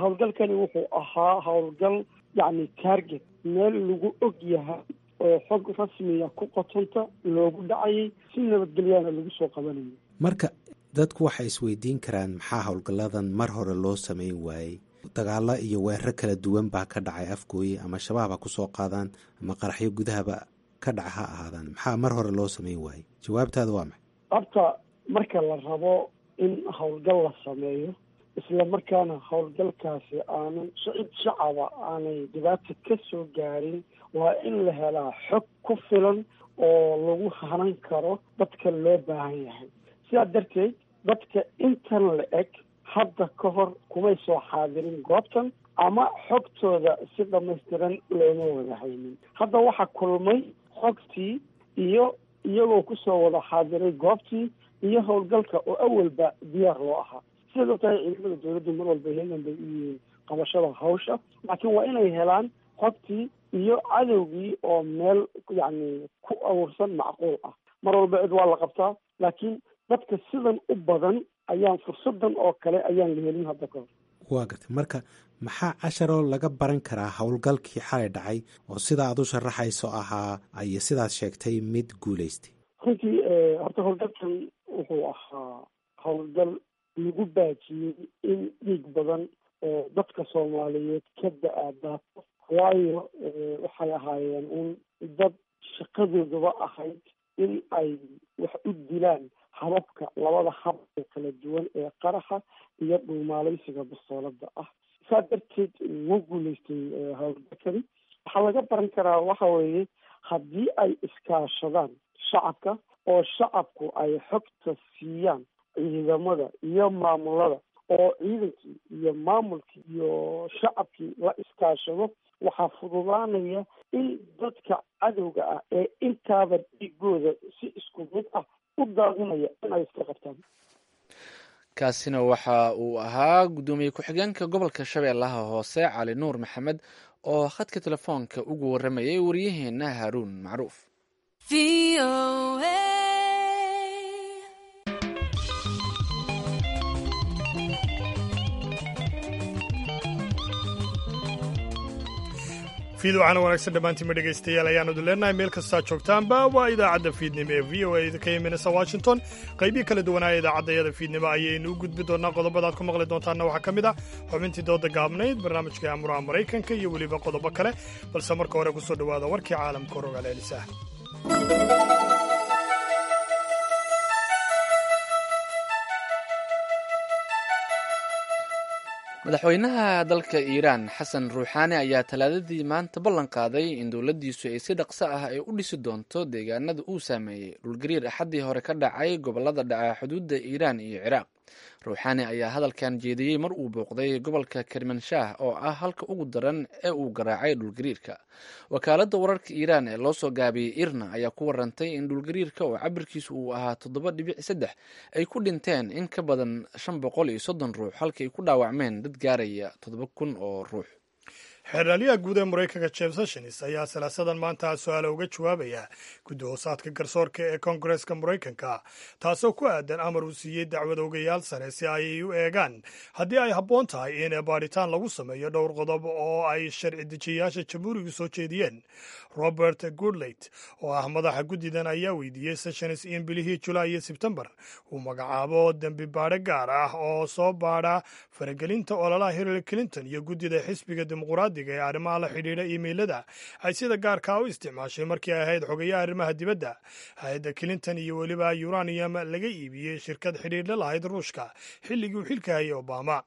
Howlgalkani wuxuu ahaa howlgal yacni target meel lagu og yahay oo xog rasmiya ku qotonta loogu dhacayay, si nabadgelyaana lagu soo qabanayay. Marka dadku waxay isweydiin karaan maxaa howlgalladan mar hore loo sameyn waayey? Dagaalo iyo weeraro kala duwan baa ka dhacay Afgooye, ama Shabaab ha kusoo qaadaan ama qaraxyo gudahaba ka dhaca ha ahaadaan. Maxaa mar hore loo sameyn waayey? Jawaabtaada waa maxay? Horta marka la rabo in howlgal la sameeyo, isla markaana howlgalkaasi aanan cid shacaba aanay dhibaata ka soo gaarin, waa in la helaa xog ku filan oo lagu hanan karo dadka loo baahan yahay. Sidaa darteed dadka intan la eg hadda ka hor kumay soo xaadirin goobtan ama xogtooda si dhammaystiran looma wada haynin. Hadda waxaa kulmay xogtii iyo iyagoo kusoo wada xaadiray goobtii iyo howlgalka oo awalba diyaar loo ahaa. Sidaad ogtahay ciidamada dawladdu mar walba heegan bay u yihiin qabashada hawsha, laakiin waa inay helaan xogtii iyo cadowgii oo meel yacni ku aruursan macquul ah. Mar walba cid waa la qabtaa, laakiin dadka sidan u badan ayaan fursadan oo kale ayaan la helin hadda kahor. Waa gartay. Marka maxaa casharoo laga baran karaa howlgalkii xalay dhacay oo sida aad u sharaxayso ahaa iyo sidaad sheegtay mid guulaystay? Runtii horta howlgalkan wuxuu ahaa howlgal lagu baajiyey in dhiig badan oo dadka Soomaaliyeed ka da-aadaato, waayo waxay ahaayeen un dad shaqadoodaba ahayd in ay wax u dilaan hababka labada hab ee kala duwan ee qaraxa iyo dhuumaalaysiga bastoolada ah. Saa darteed wuu guulaystay howlgalkani. Waxaa laga baran karaa waxa weeye haddii ay iskaashadaan shacabka oo shacabku ay xogta siiyaan ciidamada iyo maamulada, oo ciidankii iyo maamulkii iyo shacabkii la iskaashado, waxaa fududaanaya in dadka cadowga ah ee intaaba dhiigooda si isku mid ah u daadinaya in ay iska qabtaan. Kaasina waxa uu ahaa guddoomiye ku-xigeenka gobolka Shabeellaha Hoose, Cali Nuur Maxamed, oo khadka telefoonka ugu waramayay wariyaheena Haaruun Macruuf. Fiid waxaana wanaagsan dhammaantiinma dhegaystayaal ayaanu idin leenahay meel kastaa joogtaanba. Waa idaacadda fiidnimo ee VOA ka imanaysa Washington. Qaybihii kala duwanaa idaacaddayada fiidnimo ayaynu u gudbi doonaa. Qodobada aad ku maqli doontaanna waxaa ka mid ah xubintii dooda gaabnayd, barnaamijkai amuraha Maraykanka iyo weliba qodobo kale, balse marka hore kusoo dhowaada warkii caalamka rogaal elisa. Madaxweynaha dalka Iiraan, Xasan Ruuxaani, ayaa Talaadadii maanta ballan qaaday in dowladdiisu ay si dhaqso ah ay u dhisi doonto deegaanada uu saameeyey dhulgariir Axaddii hore ka dhacay gobollada dhaca xuduudda Iiraan iyo Ciraaq. Ruuxaani ayaa hadalkan jeediyey mar uu booqday gobolka Kermanshaah oo ah halka ugu daran ee uu garaacay dhulgariirka. Wakaaladda wararka Iiraan ee loo soo gaabiyey IRNA ayaa ku warantay in dhulgariirka oo cabirkiisu uu ahaa 7.3 ay ku dhinteen in ka badan 530 ruux, halka ay ku dhaawacmeen dad gaaraya 7000 oo ruux. Xeeralyaha guud ee Maraykanka Jeff Sessions ayaa Salaasadan maanta su-aala uga jawaabaya guddi hoosaadka garsoorka ee Koongareeska Maraykanka, taasoo ku aadan amar uu siiyey dacwad ogayaal sare si ay u eegaan haddii ay habboon tahay in baadhitaan lagu sameeyo dhowr qodob oo ay sharci dejiyayaasha jamhuurigu soo jeediyeen. Robert Goodlate oo ah madaxa guddidan ayaa weydiiyey Sessions in bilihii Julaay iyo Sebtembar uu magacaabo dembi baadho gaar ah oo soo baadha faragelinta ololaha Hillary Clinton iyo guddida xisbiga Dimuqraadi ee arrimaha la xidhiidha iimaylada ay sida gaarkaa u isticmaashay markii ay ahayd xogayaha arrimaha dibadda hay-adda Clinton, iyo weliba uranium laga iibiyey shirkad xidhiidhla lahayd Ruushka xilligii uu xilka hayay Obama.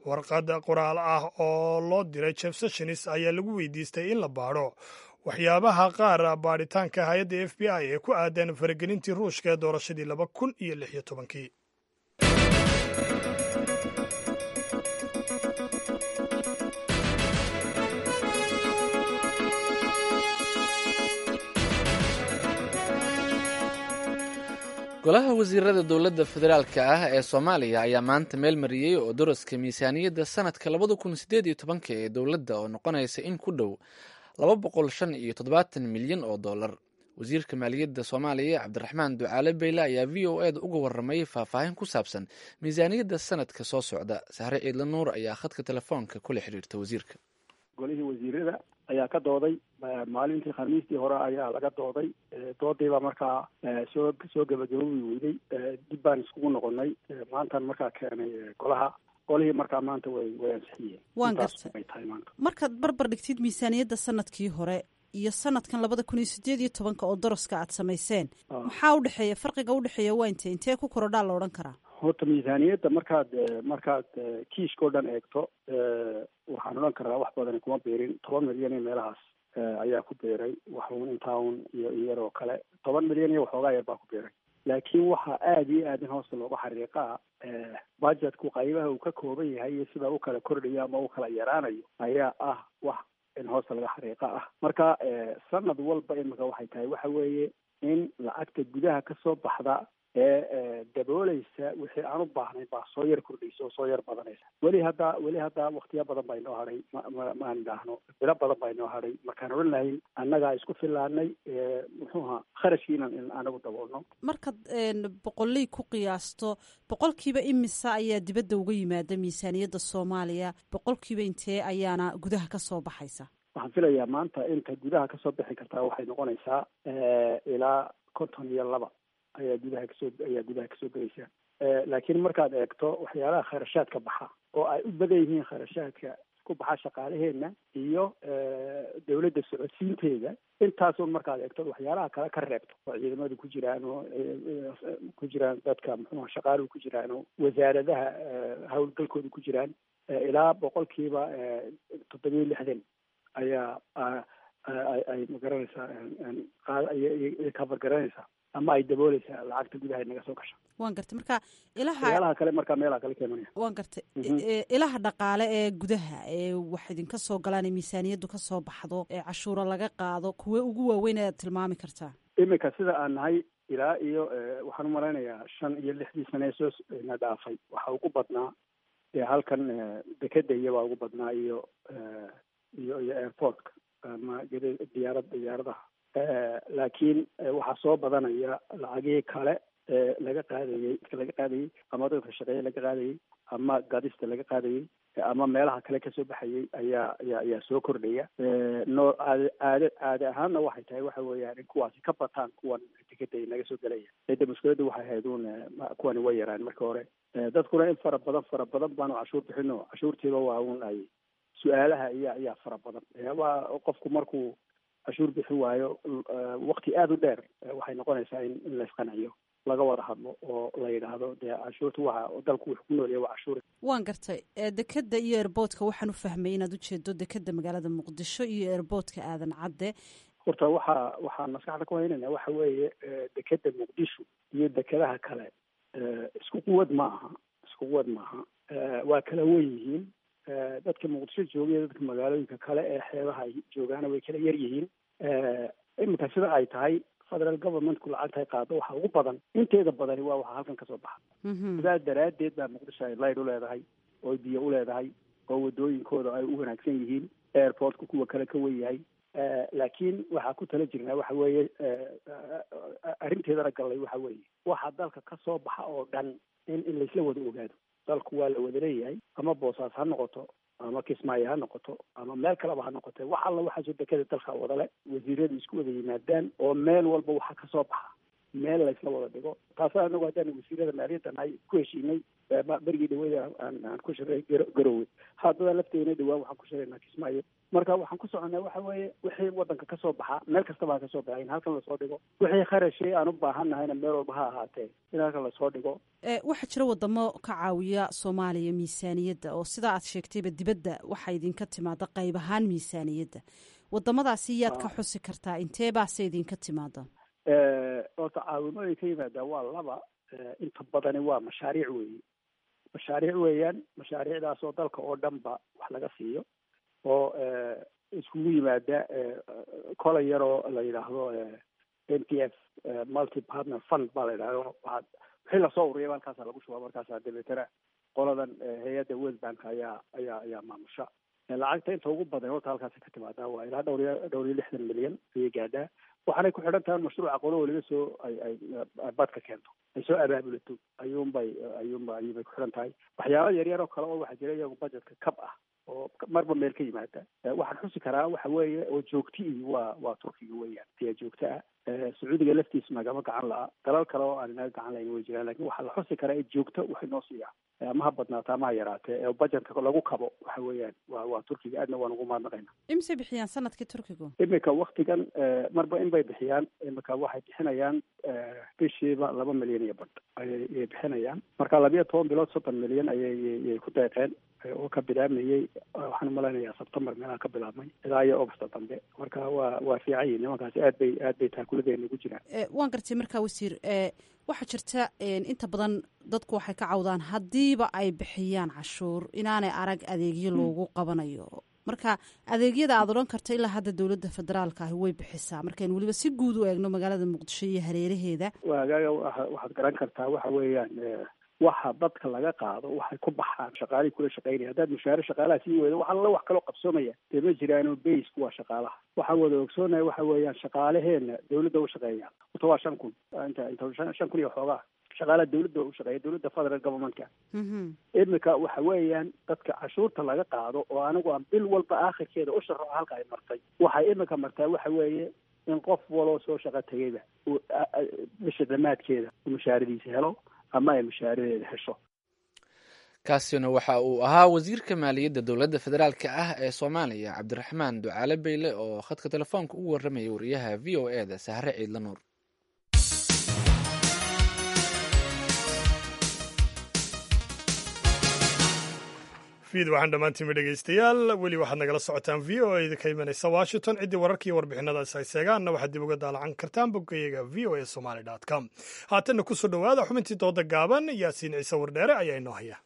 Warqad qoraal ah oo loo diray Jeff Sessions ayaa lagu weydiistay in la baadho waxyaabaha qaar baadhitaanka hay-adda FBI ee ku aadan faragelintii Ruushka ee doorashadii 2016-kii. Golaha wasiirada dowladda federaalka ah ee Soomaaliya ayaa maanta meel mariyey oo daraska miisaaniyadda sanadka 2018-ka ee dowladda oo noqonaysa in ku dhow 275 milyan oo dollar. Wasiirka maaliyadda Soomaaliya, Cabdiraxmaan Ducaale Beyle, ayaa VOA da uga waramay faahfaahin ku saabsan miisaaniyadda sanadka soo socda. Sahre Ciidla Nuur ayaa khadka telefoonka kula xiriirta wasiirka. Golihii wasiirada ayaa ka dooday maalintii Khamiistii hore ayaa laga dooday. Doodiibaa markaa soo gebagaboobi weyday. Dib baan iskugu noqonay. Maantaan markaa keenay golaha. Golihii markaa maanta way ansixiyeen. Waan gartay. Ay tahay maanta. Markaad barbar dhigtid miisaaniyadda sanadkii hore iyo sanadkan 2018-ka oo daraska aad samayseen, maxaa udhexeeya? Farqiga udhexeeya waa intee ku korodhaa la odhan karaa? Horta miisaaniyadda markaad kiishka o dhan eegto, waxaan odhan karaa wax badan kuma biirin. 10 milyan iyo meelahaas ayaa ku biiray, waxuun intaa un iyo iyar oo kale, 10 milyan iyo waxoogaa yar baa ku biiray. Laakiin waxaa aada iyo aad in hoosta looga xariiqaa budgetku qaybaha uu ka kooban yahay iyo sida u kala kordhayo ama u kala yaraanayo ayaa ah wax in hoosta laga xariiqa ah. Marka sanad walba imika waxay tahay waxa weeye in lacagta gudaha kasoo baxda Ee dabooleysa wixii aan u baahnayn baa soo yar kordhaysa oo soo yar badanaysa. Weli haddaa waktiya badan baa inoo hadhay, maan idhaahno bilo badan baa inoo hadhay markaan odhan lahayn annagaa isku filaanay, muxuu ahaa, kharashkii inaan anagu daboolno. Markaad boqoley ku qiyaasto, boqolkiiba imisa ayaa dibadda uga yimaada miisaaniyadda Soomaaliya, boqolkiiba intee ayaana gudaha ka soo baxaysa? Waxaan filayaa maanta inta gudaha kasoo bixi kartaa waxay noqonaysaa ilaa 52 ayaa gudaha kasoo gelaysa. Laakiin markaad eegto waxyaalaha kharashaadka baxa oo ay u badan yihiin kharashaadka ku baxa shaqaalaheena iyo dawladda socodsiinteeda, intaasun markaad eegto, waxyaalaha kale ka reebto oo ciidamadu ku jiraan oo ku jiraan dadka, muxuuha, shaqaaluhu ku jiraan oo wasaaradaha howlgalkooda ku jiraan, ilaa 67% ayaa ay magaranaysaa cover garanaysaa ama ay dabooleysaa lacagta gudaha naga soo gasha. Waan gartay. Marka ilaha Waxyaalaha kale markaa meelaha kale keenanaya. Waan gartay. Ilaha dhaqaale ee gudaha ee wax idinka soo galaan ee miisaaniyaddu ka soo baxdo ee cashuura laga qaado, kuwe ugu waaweyn ayaad tilmaami kartaa? Iminka sida aan nahay, ilaa iyo waxaan umalaynayaa 5 iyo 6dii sane soo na dhaafay, waxa ugu badnaa ee halkan dekeda iyobaa ugu badnaa iyo airportka ama diyaaradaha. Laakiin waxaa soo badanaya lacagihii kale ee laga qaadayey ama dadka shaqeeye laga qaadayey ama gadista laga qaadayey ama meelaha kale kasoo baxayay ayaa soo kordhaya. No aade aade caade ahaanna waxay tahay waxa weeyaan in kuwaasi ka bataan kuwan tikada naga soo gelaya. Cidda mushkiladda waxay ahayd uun kuwani way yaraan marka hore. Dadkuna in fara badan fara badan baanu cashuur bixino, cashuurtiiba waa un ay su-aalaha iya ayaa fara badan. Waa qofku markuu cashuur bixin waayo wakti aada u dheer, waxay noqonaysaa in laisqanciyo, laga wada hadlo oo la yidhaahdo dee cashuurta waxa dalku wuxuu ku noolyahay waa cashuur. Waan gartay. Dekeda iyo airportka waxaan u fahmay inaad ujeedo dekeda magaalada Muqdisho iyo airportka Aadan Cadde. Horta waxaan maskaxda ku haynayna waxa weeye dekeda Muqdisho iyo dekedaha kale isku quwad ma aha, isku quwad maaha, waa kala wen yihiin. Dadka Muqdisho jooga iyo dadka magaalooyinka kale ee xeebaha ay joogaana way kala yar yihiin. Iminka sida ay tahay, federal governmentku lacagta ay qaado waxa ugu badan, inteeda badani waa waxa halkan kasoo baxa. Sidaa daraaddeed baa Muqdisho ay light u leedahay oo biyo u leedahay oo wadooyinkooda ay u wanaagsan yihiin, airportka kuwa kale ka wen yahay. Laakiin waxaa ku tala jirnaa waxa weeye, arrinteedana gallay, waxa weeye waxa dalka ka soo baxa oo dhan in laisla wada ogaado. Dalku waa la wada leeyahay, ama Boosaas ha noqoto ama Kismaayo ha noqoto ama meel kaleba ha noqote, wax alla waxaasoo dekada dalka wadale wasiiradu isku wada yimaadaan oo meel walba waxa kasoo baxa meel laysla wada dhigo. Taasa anagu haddaan wasiirada maaliyadda nahay ku heshiinay berigii dhaweyda aan ku shiray Garowe. Haddada lafteena dhawaan waxaan ku shiraynaa Kismaayo. Marka waxaan ku soconaa waxa weeye wixii wadanka kasoo baxa, meel kastaba ha kasoo baxa, in halkan lasoo dhigo. Wixii kharashii aan u baahan nahayna meel walba ha ahaatee in halkan lasoo dhigo. Waxaa jira wadamo ka caawiya Soomaaliya miisaaniyadda oo sidaa aad sheegtayba dibadda waxaa idinka timaada qayb ahaan miisaaniyadda. Wadamadaasi yaad ka xusi kartaa, intee baase idinka timaada? Horta caawimooyin ka yimaadaa waa laba. Inta badani waa mashaariic weeye, mashaariic weeyaan. Mashaariicdaas oo dalka oo dhan ba wax laga siiyo oo iskugu yimaada kolay yaroo la yidhaahdo MPF, multi partner fund baa la yidhahdo. Waxaa wixii lasoo ururiyaba halkaasa lagu shubaa. Markaasa dabeetana qoladan hay-adda World Bank ayaa maamusha lacagta. Inta ugu badan horta halkaasa ka timaadaa, waa ilaa dhowr iyo 60 milyan ayay gaadhaa. Waxaanay ku xidhan tahay mashruuca qolo waliba soo ay badka keento, ay soo abaabulato, ayuunbay ku xidhan tahay. Waxyaaba yaryar oo kale oo waxaa jira iyagu budgetka kab ah oo marba meel ka yimaada. Waxaan xusi karaa waxa weeye oo joogti waa Turkiga weeyaan ayaa joogto ah. Sacuudiga laftiisa nagama gacan la'a. Dalal kale oo aan inaga gacan lahayn way jiraan, lakin waxaa la xusi karaa ee joogto waxay noo siiyaa, ama ha badnaata ama ha yaraatee, ee budgetka lagu kabo waxa weeyaan waa Turkiga. Aadna waan ugu mahadnaqayna. Imisay bixiyaan sanadkii Turkigu? Iminka waktigan marba in bay bixiyaan. Iminka waxay bixinayaan bishiiba 2 milyan iyo badh ayay bixinayaan. Marka 12 bilood 30 milyan ayay ku deeqeen oo ka bilaabmayey, waxaan umalaynayaa Sebtembar meelaha ka bilaabmay ilaa iyo Augusta dambe. Marka waa fiican yihin nimankaasi, aad bay taakuladeena ugu jiraan. Waan gartay. Markaa wasiir, waxaa jirta inta badan dadku waxay ka cawdaan haddiiba ay bixiyaan cashuur inaanay arag adeegyo loogu qabanayo. Marka adeegyada aad odhan karta ilaa hadda dowladda federaalka ahi way bixisaa, markaynu weliba si guud u eegno magaalada Muqdisho iyo hareeraheeda. Waagaaga waxaad garan kartaa waxa weeyaan, waxa dadka laga qaado waxay ku baxaan shaqaalihii kula shaqaynaya. Haddaad mushaare shaqaalaha sii weydo, wax alla wax kaloo qabsoomaya dee ma jiraano. Baysku waa shaqaalaha. Waxaan wada ogsoonaya waxa weeyaan, shaqaalaheena dawladda u shaqeeya horta waa 5000, inta 5000 iyo xoogaa shaqaalaha dawladda u shaqeeya, dawladda federal governmentka. Imika waxa weeyaan, dadka cashuurta laga qaado oo anigu aan bil walba aakhirkeeda u sharaxo halka ay martay, waxay imika martaa waxa weeye in qof waloo soo shaqo tegayba uu bisha dhammaadkeeda mushaaradiisa helo ama ay mushaaradeeda hesho. Kaasina waxa uu ahaa wasiirka maaliyadda dowladda federaalka ah ee Soomaaliya, Cabdiraxmaan Ducaale Beyle, oo khadka telefoonka ugu warramayay wariyaha VOA-da Sahre Ciidla Nuur. Fiid waxaan dhammaantiinba dhegaystayaal, weli waxaad nagala socotaan VOA da ka imanaysa Washington. Ciddii wararkii warbixinadaas ay seegaanna waxaad dib uga daalacan kartaan boggayaga voasomali.com. Haatanna kusoo dhowaada xubintii dooda gaaban. Yaasiin Ciise Wardheere ayaa inoo haya.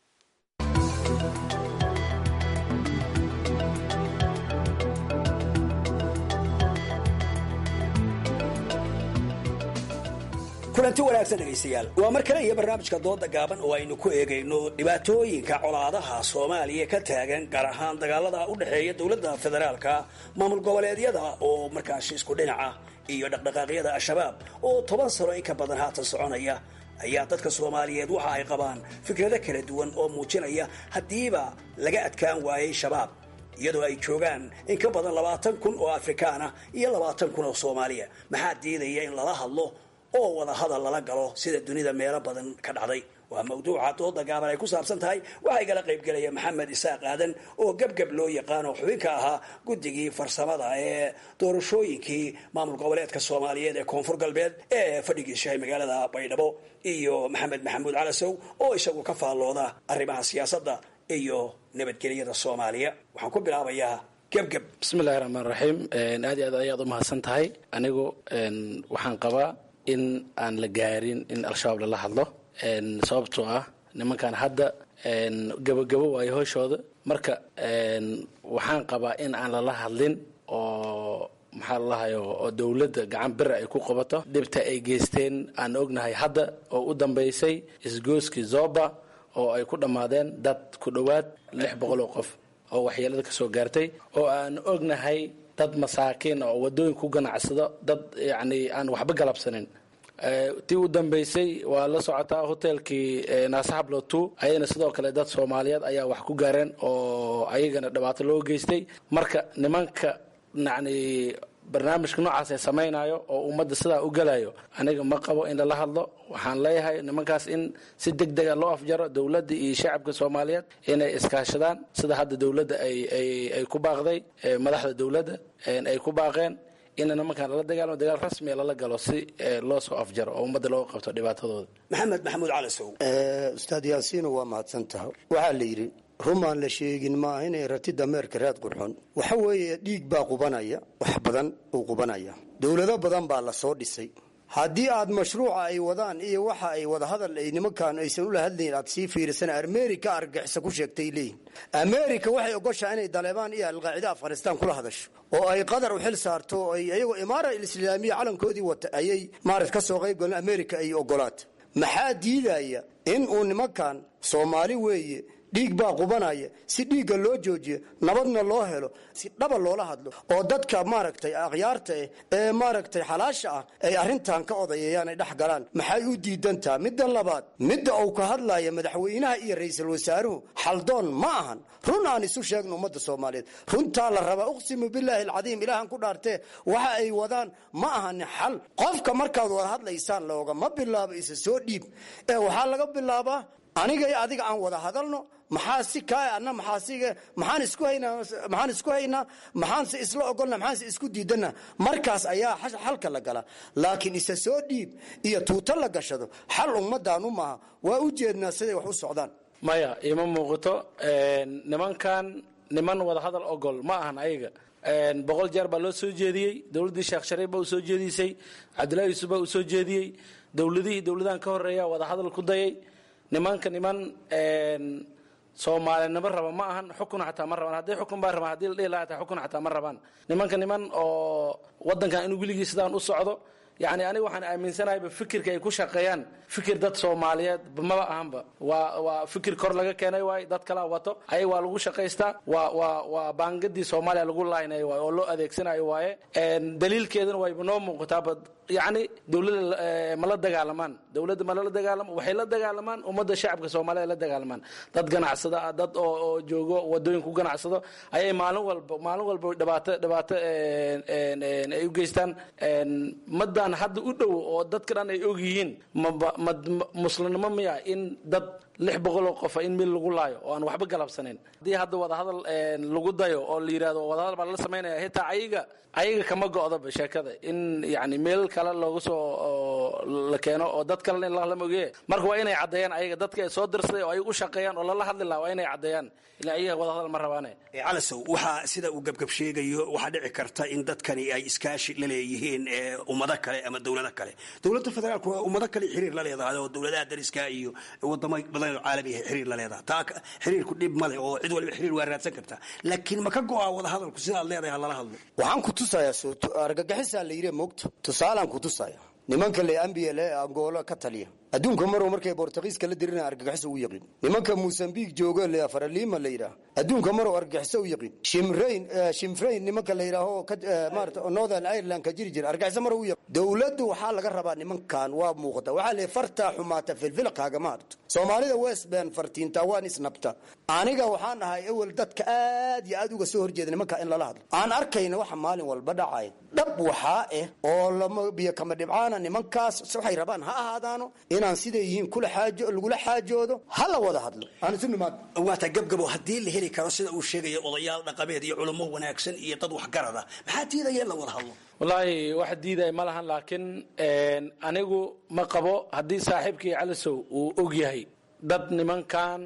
Kulanti wanaagsan dhegaystayaal, waa mar kale iyo barnaamijka dooda gaaban oo aynu ku eegayno dhibaatooyinka colaadaha Soomaaliya ka taagan, gaar ahaan dagaalada u dhexeeya dowladda federaalka, maamul goboleedyada oo markaasi isku dhinaca iyo dhaqdhaqaaqyada Al-Shabaab oo 10 sano in ka badan haatan soconaya. Ayaa dadka Soomaaliyeed waxa ay qabaan fikrado kala duwan oo muujinaya haddiiba laga adkaan waayey Shabaab, iyadoo ay joogaan in ka badan 20,000 oo Afrikaan ah iyo 20,000 oo Soomaaliya, maxaa diidaya in lala hadlo oo wada hadal lala galo sida dunida meelo badan ka dhacday? Waa mawduuca dooda gaaban ay ku saabsan tahay. Waxaa igala qaybgelaya Maxamed Isaaq Aadan oo Gebgeb loo yaqaano, xubinka ahaa guddigii farsamada ee doorashooyinkii maamul goboleedka Soomaaliyeed ee Koonfur Galbeed ee fadhigiisu yahay magaalada Baydhabo, iyo Maxamed Maxamuud Calasow oo isagu ka faallooda arrimaha siyaasadda iyo nabadgelyada Soomaaliya. Waxaan ku bilaabayaa Gebgeb. Bismillahi raxmaan raxiim. Aad iyo aad ayaad u mahadsan tahay. Anigu waxaan qabaa in aan la gaarin in Al-Shabaab lala hadlo, sababtoo ah nimankan hadda gabogabo waayo hooshooda. Marka waxaan qabaa in aan lala hadlin oo maxaa lalahayo oo dowladda gacan bira ay ku qabato dhibta ay geysteen aan ognahay hadda, oo u dambeysay isgooskii Zoba oo ay ku dhammaadeen dad ku dhowaad 600 oo qof oo waxyeelada ka soo gaartay, oo aan ognahay dad masaakiin oo wadooyin ku ganacsado, dad yacni aan waxba galabsanin. Tii u dambeysay waa la socotaa, hotelkii Naasahablotu, ayadana sidoo kale dad Soomaaliyeed ayaa wax ku gaareen oo ayagana dhibaato loo geystay. Marka nimanka yacni barnaamijka noocaas ee samaynayo oo ummadda sidaa u galayo, aniga ma qabo in lala hadlo. Waxaan leeyahay nimankaas in si deg dega loo afjaro, dowladda iyo shacabka Soomaaliyeed inay iskaashadaan, sida hadda dowladda ay ku baaqday, madaxda dowladda ay ku baaqeen in nimankan lala dagaalamo, dagaal rasmiya lala galo si loo soo afjaro oo ummadda looga qabto dhibaatadooda. Maxamed Maxamuud Calasow. Ustaad Yaasiino, waa mahadsan tahay. Waxaa la yidhi rumaan la sheegin maaha inay rati dameerka raad qurxon. Waxa weeye, dhiig baa qubanaya, wax badan uu qubanaya. Dowlado badan baa la soo dhisay. Haddii aad mashruuca ay wadaan iyo waxa ay wadahadal ay nimankan aysan ula hadlayn aad sii fiirisana, Amerika argagixisa ku sheegtay leeyihin. Amerika waxay ogoshaa inay Daleebaan iyo Alqaacida Afghanistan kula hadasho oo ay Qatar u xil saarto oo ay iyagoo Imaara Islaamiya calankoodii wata ayay maarat ka soo qayb galeen. Amerika ay ogolaata. Maxaa diidaya in uu nimankan Soomaali weeye, dhiig baa qubanaya, si dhiigga loo joojiyo, nabadna loo helo, si dhaba loola hadlo oo dadka maaragtay akhyaarta eh ee maaragtay xalaasha ah ay arrintan ka odayeeyaan, ay dhex galaan? Maxay u diidantaha? Midda labaad, midda uu ka hadlaya madaxweynaha iyo ra'iisul wasaaruhu xaldoon ma ahan. Run aan isu sheegno, ummadda Soomaaliyeed runtaa la rabaa. Uqsimu billaahi alcadiim, ilaahan ku dhaartee, waxa ay wadaan ma ahani xal. Qofka markaad wada hadlaysaan loogama bilaabo isa soo dhiib ee waxaa laga bilaabaa aniga iyo adiga aan wada hadalno. Maxaa si kaa anna maxaa siga maxaan isku haynaa, maxaan isku haynaa, maxaanse isla ogolna, maxaanse isku diidana? Markaas ayaa xalka la galaa. Laakiin isa soo dhiib iyo tuuto la gashado xal ummadaanu maaha. Waa u jeednaa siday wax u socdaan. Maya, ima muuqato. Nimankan niman wada hadal ogol ma ahan. Ayaga 100 jeer baa loo soo jeediyey. Dowladdii Sheekh Shariif baa u soo jeedisay, Cabdullahi Yuusuf baa u soo jeediyey, dowladihii dowladahan ka horeeya wada hadal ku dayay. Nimanka niman Soomaalinimo raba ma ahan, xukun xataa ma rabaan. Hadday xukun baa rabaan, haddii la dhihi lahaa xataa xukun xataa ma rabaan. Nimanka niman oo waddankan inuu weligii sidaan u socdo, yacni aniga waxaan aaminsanahayba fikirka ay ku shaqeeyaan fikir dad Soomaaliyeed maba ahanba. Waa fikir kor laga keenay waay, dad kalaa wato, ayaga waa lagu shaqaystaa. Waa baangadii Soomaaliya lagu laaynayo waay oo loo adeegsanayo waaye. Daliilkeedana wayba noo muuqataaba. Yacni dowladda ma la dagaalamaan, dowladda ma lala dagaalamo, waxay la dagaalamaan ummadda shacabka Soomaalida la dagaalamaan. Dad ganacsada ah, dad oo joogo wadooyin ku ganacsado ayay maalin walba dhibaato ay u geystaan. Madan hadda u dhow oo dadka dhan ay og yihiin, maba ma muslimnimo miya in dad 600 oo qofa in mil lagu laayo oo aan waxba galabsanayn? Haddii hadda wadahadal lagu dayo oo la yidhahdo wadahadal baa lala samaynaya, xitaa ayaga kama go'daba sheekada in yani meel kale loogu soo la keeno oo dad kalena in lama ogeeye. Marka waa inay caddeeyaan ayaga dadka ay soo dirsaday oo ay u shaqeeyaan oo lala hadli lahaa, waa inay caddeeyaan ilaa ayaga wadahadal ma rabaane. Calasow, waxaa sida uu Gabgab sheegayo, waxaa dhici karta in dadkani ay iskaashi la leeyihiin ummado kale ama dowlado kale. Dowladda federaalku waa ummado kale xiriir la leedahay oo dowladaha dariska iyo wadamo badan oo caalami ah xiriir la leedahay. Taa xiriirku dhib male oo cid waliba xiriir waa raadsan kartaa, laakiin ma ka go'aa wadahadalku sidaad leedahay ha lala hadlo? Waxaan ku tusayaa argagixisaa la yidhi, moogta tusaalaan ku tusaya nimanka le ambiyal ee Angola ka taliya. Adduunka marow markay Bortugiiska la dirina argagixiso u yaqiin. Nimanka Mosambik joogo le Faralima la yidhaah, adduunka marow argagixiso u yaqiin. Shimrayn Shimfrayn nimanka la yidhaaho maarata Northern Ireland ka jiri jira, argagixiso marow u yaqiin. Dowladdu waxaa laga rabaa nimankan waa muuqata, waxaa le fartaa xumaata filfil kaagama harto. Soomaalida Westben fartiinta waan isnabta. Aniga waxaan ahay ewel dadka aad iyo aad uga soo horjeeda nimanka in lala hadlo. Aan arkayna waxa maalin walba dhacaya dhab waxaa ah oo lama biyo kama dhibcaana. Nimankaas waxay rabaan ha ahaadaano, inaan siday yihiin kula xaajo lagula xaajoodo, ha la wada hadlo, aan isu nimaad. Waata Gabgabo, haddii la heli karo sida uu sheegayo odayaal dhaqameed iyo culummo wanaagsan iyo dad waxgarada, maxaa diidaya in la wada hadlo? Wallaahi wax diidaya ma lahan, laakiin anigu ma qabo. Haddii saaxiibkii Calisow uu og yahay dad nimankan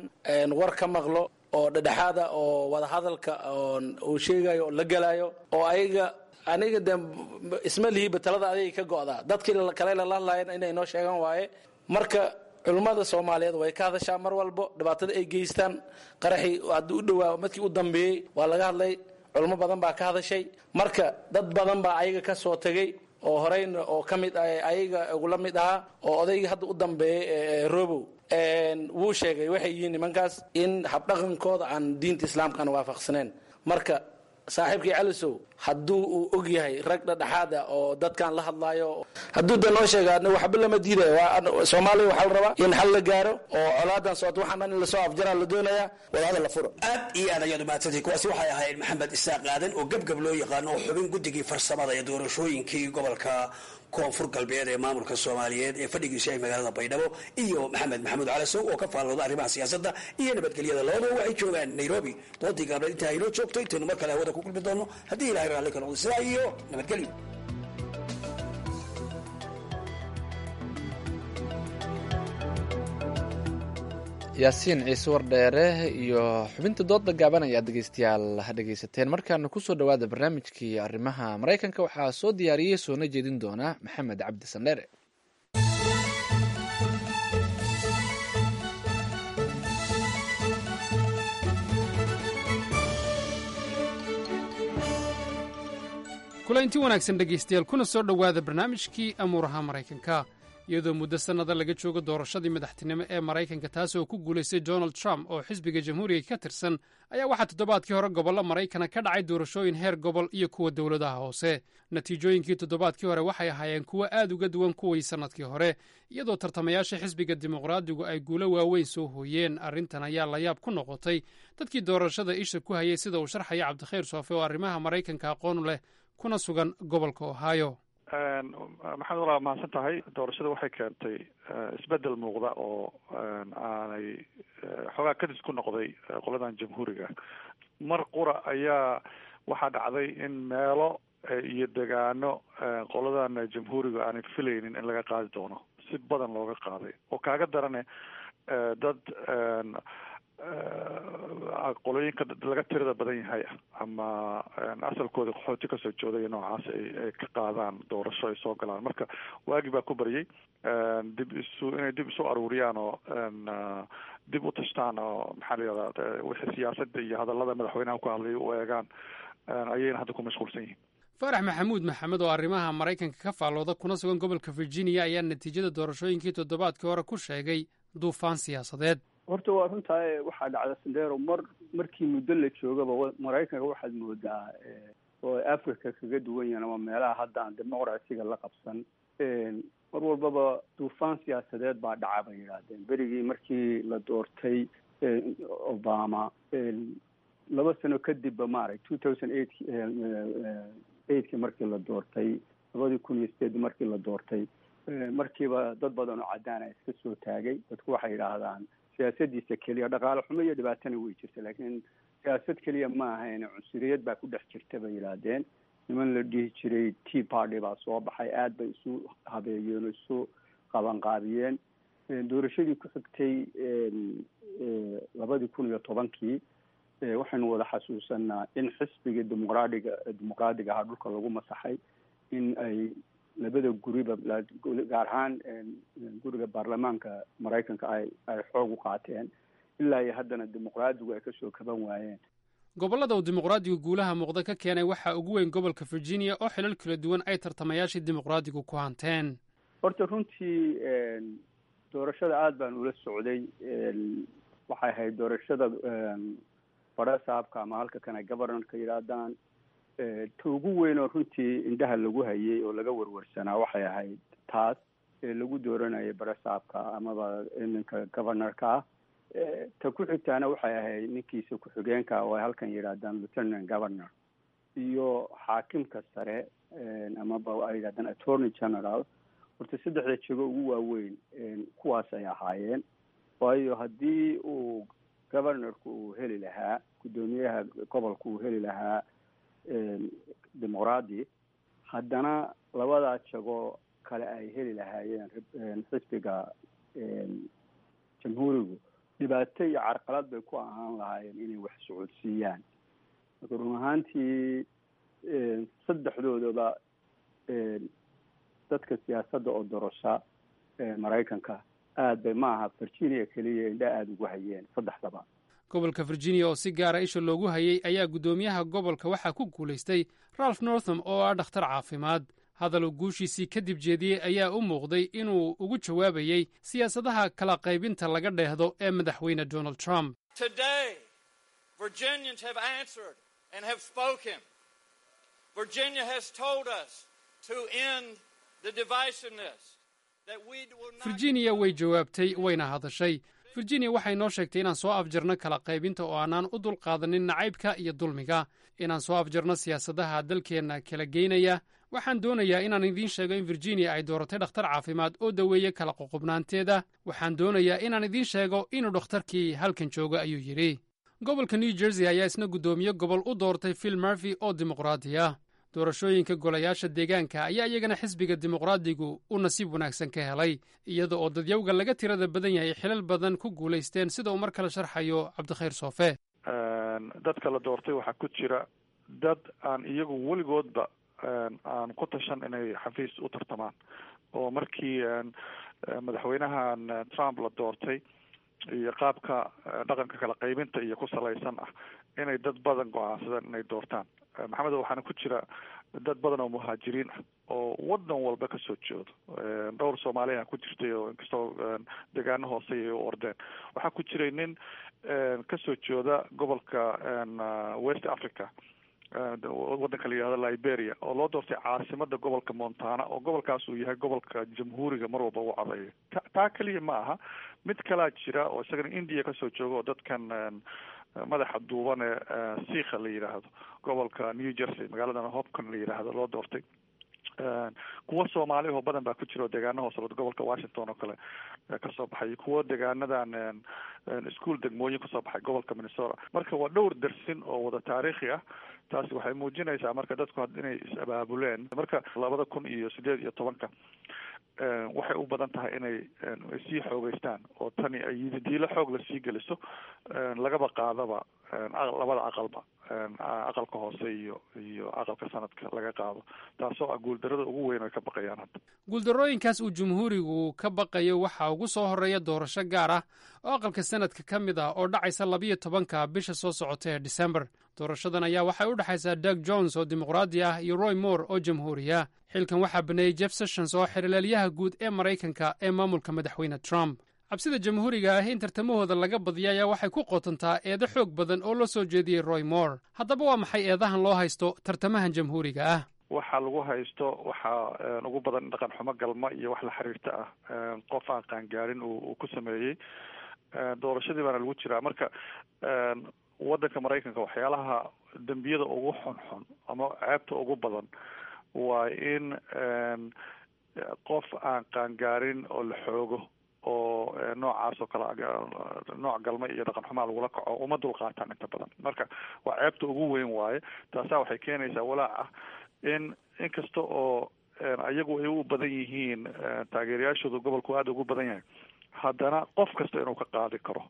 war ka maqlo oo dhedhexaada oo wadahadalka uu sheegayo oo la gelayo oo ayaga, aniga de isma lihiba talada adiga ka go'daa. Dadkii kale lala hadlayan inay noo sheegan waaye. Marka culimmada Soomaaliyeed way ka hadashaa mar walbo dhibaatada ay geystaan. Qaraxii haddii u dhowaa markii u dambeeyey waa laga hadlay, culimo badan baa ka hadashay. Marka dad badan baa ayaga ka soo tegey oo horeyna oo ka mid ah ayaga ugula mid ahaa oo odaygii hadda u dambeeyey Robow wuu sheegay waxay yihiin nimankaas in habdhaqankooda aan diinta islaamka aan waafaqsaneen. Marka saaxiibkii Calisow hadduu uu og yahay rag dhadhexaad ah oo dadkan la hadlaayo, hadduu da noo sheega, waxba lama diidayo. Soomaaliya waxaa la rabaa in xal la gaaro oo colaadan socoto waxaan dhan in lasoo afjaraa la doonayaa. Wadahadal la furo. Aad iyo aad ayaad umahadsantay. Kuwaasi waxay ahayd Maxamed Isaaq Aadan oo Gabgab loo yaqaano oo xubin guddigii farsamada ee doorashooyinkii gobolka Koonfur Galbeed ee maamulka Soomaaliyeed ee fadhigiisu yahay magaalada Baydhabo, iyo Maxamed Maxamuud Calasow oo ka faallooda arrimaha siyaasadda iyo nabadgelyada. Labadaba waxay joogaan Nairobi. Doodii gaableed intaa inoo joogto, intaynu mar kale hawada ku kulmi doono haddii Ilahay raalli ka noqdo, sidaa iyo nabadgelyo. Yaasiin Ciise Wardheere iyo xubinta dooda gaaban ayaa dhegeystayaal ha dhegeysateen. Markaana kusoo dhawaada barnaamijkii arrimaha Maraykanka. Waxaa soo diyaariyey soona jeedin doona Maxamed Cabdi Sandheere. Kulanti wanaagsan dhegaystayaal, kuna soo dhowaada barnaamijkii amuuraha Maraykanka. Iyadoo muddo sannada laga joogo doorashadii madaxtinimo ee Maraykanka, taas oo ku guulaystay Donald Trump oo xisbiga Jamhuuriga ka tirsan, ayaa waxaa toddobaadkii hore gobollo Maraykana ka dhacay doorashooyin heer gobol iyo kuwa dowladaha hoose. Natiijooyinkii toddobaadkii hore waxay ahaayeen kuwo aad uga duwan kuwii sannadkii hore, iyadoo tartamayaasha xisbiga Dimuqraadigu ay guulo waaweyn soo hooyeen. Arrintan ayaa layaab ku noqotay dadkii doorashada isha ku hayay, sida uu sharxaya Cabdikhayr Soofe oo arrimaha Maraykanka aqoon leh kuna sugan gobolka Ohio. Maxamed, walaa mahadsan tahay. Doorashada waxay keentay isbedel muuqda oo aanay xoogaa kadis ku noqday qoladan Jamhuuriga. Mar qura ayaa waxaa dhacday in meelo iyo degaano qoladan Jamhuuriga aanay filaynin in laga qaadi doono si badan looga qaaday, oo kaaga darane dad Qolooyinka laga tirada badan yahay ama asalkooda qaxooti kasoo jeeday noocaas ay ka qaadaan doorasho ay soo galaan. Marka waagi baa ku baryay dib isu inay dib isu aruuriyaan oo dib u tashtaan, oo maxaa la yihahdaa, wixii siyaasadda iyo hadallada madaxweynaha ku hadlay u eegaan ayayna hadda ku mashquulsan yihiin. Faarax Maxamuud Maxamed oo arrimaha Maraykanka ka faallooda kuna sugan gobolka Virginia ayaa natiijada doorashooyinkii toddobaadkii hore ku sheegay duufaan siyaasadeed. Horta waa runtaa, waxaa dhacda, Sandero, markii muddo la joogaba Maraykanka waxaad moodaa oo Africa kaga duwan yahan ama meelaha hadda aan dimuqrasiga la qabsan, mar walbaba duufaan siyaasadeed baa dhaca bay yidhaahdeen. Berigii markii la doortay Obama, 2 sano kadibba, maarag, 2008 eightkii markii la doortay, 2008 markii la doortay, markiiba dad badan oo caddaana iska soo taagay. Dadku waxay yidhaahdaan siyaasadiisa keliya, dhaqaale xumo iyo dhibaatana way jirta, laakiin siyaasad keliya ma ahayn, cunsuriyad baa ku dhex jirta bay yidhaahdeen. Niman la dhihi jiray Tea Party baa soo baxay, aad bay isu habeeyeen oo isu qabanqaabiyeen. Doorashadii ku xigtay, 2010-kii, waxaynu wada xasuusanaa in xisbigii Dimuqraadiga ahaa dhulka lagu masaxay, in ay labada guriba, gaar ahaan guriga baarlamaanka Maraykanka, ay xoog u qaateen, ilaa iyo haddana Dimuqraadigu ay kasoo kaban waayeen. Gobollada uu Dimuqraadigu guulaha muuqda ka keenay waxaa ugu weyn gobolka Virginia, oo xilal kala duwan ay tartamayaashii Dimuqraadigu ku hanteen. Horta runtii doorashada aada baan ula socday. Waxay ahayd doorashada barasaabka ama halka kana governorka yidhaahdaan. Ta ugu weyn oo runtii indhaha lagu hayay oo laga warwarsanaa waxay ahayd taas ee lagu dooranayay barasaabka amaba ninka governorka ah. Ta ku xigtaana waxay ahayd ninkiisa ku-xigeenka, oo ay halkan yidhaahdaan lieutenant governor, iyo xaakimka sare amaba ay yidhahdaan attorney general. Horta saddexda jego ugu waaweyn kuwaas ay ahaayeen, waayo haddii uu governorku uu heli lahaa, guddoomiyaha gobolka uu heli lahaa Dimuqraadi, haddana labadaa jago kale ay heli lahaayeen xisbiga Jamhuurigu, dhibaato iyo carqalad bay ku ahaan lahaayeen inay wax socodsiiyaan. Marka run ahaantii saddexdoodaba dadka siyaasadda oo dorasha Maraykanka aad bay, maaha Virginia keliya, indha aada ugu hayeen saddexdaba. Gobolka Virginia oo si gaara isha loogu hayay ayaa guddoomiyaha gobolka waxaa ku guulaystay Ralph Northam oo ah dhakhtar caafimaad. Hadal uu guushiisii kadib jeediyey ayaa u muuqday inuu ugu jawaabayey siyaasadaha kala qaybinta laga dheehdo ee Madaxweyne Donald Trump. Today, Virginians have answered and have spoken. Virginia has told us to end the divisiveness, that we will not. Virginia way jawaabtay, wayna hadashay. Virginia waxay noo sheegtay inaan soo afjarno kala qaybinta oo aanaan u dulqaadanin nacaybka iyo dulmiga, inaan soo afjarno siyaasadaha dalkeenna kala geynaya. Waxaan doonayaa inaan idiin sheego in Virginia ay dooratay dhakhtar caafimaad oo daweeye kala qoqobnaanteeda. Waxaan doonayaa inaan idiin sheego inuu dhakhtarkii halkan joogo, ayuu yidhi. Gobolka New Jersey ayaa isna guddoomiye gobol u doortay Phil Murphy oo Dimuqraadi ah. Doorashooyinka golayaasha deegaanka ayaa iyagana xisbiga Dimuqraadigu u nasiib wanaagsan ka helay, iyada oo dadyowga laga tirada badan yahay xilal badan ku guulaysteen, sida uu mar kale sharxayo Cabdikhayr Soofe. Dadka la doortay waxaa ku jira dad aan iyagu weligoodba aan ku tashan inay xafiis u tartamaan, oo markii madaxweynahan Trump la doortay iyo qaabka dhaqanka kala qaybinta iyo ku salaysan ah inay dad badan go-aansadeen inay doortaan. Maxamed, waxaana ku jira dad badan oo muhaajiriin ah oo wadan walba kasoo jeedo. Dhowr Soomaaliya ku jirtay, oo inkastoo deegaano hoose ay u ordeen. Waxaa ku jiray nin kasoo jeeda gobolka West Africa, wadanka la yihahdo Liberia, oo loo doortay caasimada gobolka Montana, oo gobolkaas uu yahay gobolka Jamhuuriga mar walba u codeeyo. Taa keliya ma aha, mid kalaa jira oo isagana India kasoo jooga, oo dadkan madaxa duuban ee Siikha la yidhaahdo, gobolka New Jersey magaaladan Hoboken la yidhaahdo loo doortay. Kuwa Soomaali oo badan baa ku jira oo deegaano hoose gobolka Washington oo kale kasoo baxay, kuwa deegaanadan iskuol degmooyin kasoo baxay gobolka Minnesota. Marka waa dhowr dersin oo wada taariikhi ah. Taasi waxay muujinaysaa marka dadku inay is-abaabuleen. Marka 2018-ka Waxay u badan tahay inay sii xoogeystaan oo tani ay yididiilo xoog la sii geliso, lagaba qaadaba labada aqalba, aqalka hoose iyo aqalka sanadka laga qaado, taasoo ah guuldarada ugu weyn ay ka baqayaan hadda. Guuldarrooyinkaas uu jumhuurigu ka baqayo waxaa ugu soo horreeya doorasho gaar ah oo aqalka sanadka ka mid ah oo dhacaysa 12-ka bisha soo socota ee Disembar. Doorashadan ayaa waxay u dhexaysaa Doug Jones oo dimuqraadi ah iyo Roy Moore oo jamhuuriya. Xilkan waxaa baneeyey Jeff Sessions oo xerilaalyaha guud ee Maraykanka ee maamulka madaxweyne Trump. Cabsida jamhuuriga ah in tartamahooda laga badiya ayaa waxay ku qotontaa eedo xoog badan oo loo soo jeediyey Roy Moore. Haddaba waa maxay eedahan loo haysto tartamahan jamhuuriga ah? Waxa lagu haysto waxaa ugu badan dhaqan xumo galma iyo wax la xiriirta ah, qof aan qaangaarin uu ku sameeyey. Doorashadii baana lagu jiraa. Marka waddanka Maraykanka waxyaalaha dembiyada ugu xunxun ama ceebta ugu badan waa in qof aan qaangaarin oo la xoogo oo noocaas oo kale, nooc galma iyo dhaqan xumaa lagula kaco, uma dulqaataan inta badan. Marka waa ceebta ugu weyn waaye. Taasaa waxay keenaysaa walaac ah in inkasta oo iyagu ay u badan yihiin taageerayaashooda, gobolku aada ugu badan yahay, haddana qof kasta inuu ka qaadi karo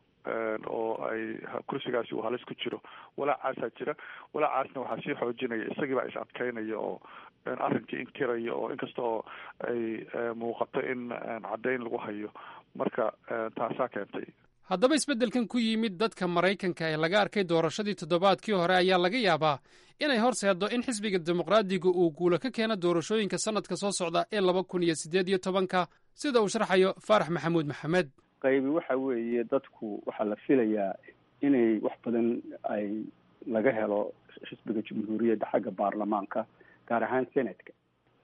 oo ay kursigaasi uu halis ku jiro. Walaacaasaa jira. Walaacaasna waxaa sii xoojinaya isagii baa is adkeynaya oo arrinkii inkiraya, oo inkasta oo ay muuqato in caddayn lagu hayo. Marka taasaa keentay. Haddaba isbeddelkan ku yimid dadka Maraykanka ee laga arkay doorashadii toddobaadkii hore ayaa laga yaabaa inay horseeddo in xisbiga Dimuqraadiga uu guulo ka keeno doorashooyinka sannadka soo socda ee 2018-ka, sida uu sharxayo Faarax Maxamuud Maxamed. Qaybi waxa weeye, dadku waxaa la filayaa inay wax badan ay laga helo xisbiga Jamhuuriyadda xagga baarlamaanka, gaar ahaan senatka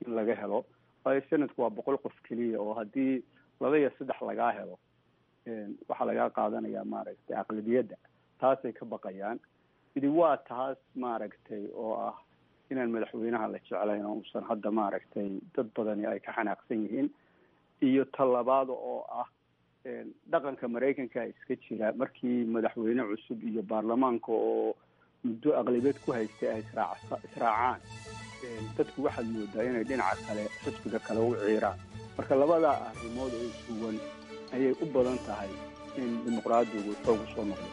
in laga helo, waayo senatku waa 100 qof keliya, oo haddii laba iyo saddex lagaa helo waxaa lagaa qaadanayaa maaragtay aqlabiyadda. Taasay ka baqayaan. Midi waa taas maaragtay oo ah inaan madaxweynaha la jeclayn oo uusan hadda maaragtay dad badani ay ka xanaaqsan yihiin, iyo talabaada oo ah dhaqanka Maraykanka iska jira markii madaxweyne cusub iyo baarlamaanka oo muddo aqlabiyad ku haystay ay israacaan, dadku waxaad moodaa inay dhinaca kale, xisbiga kale u ciiraan. Marka labadaa arrimood oo isuwan ayay u badan tahay in dimuqraadigu xoog u soo noqdo.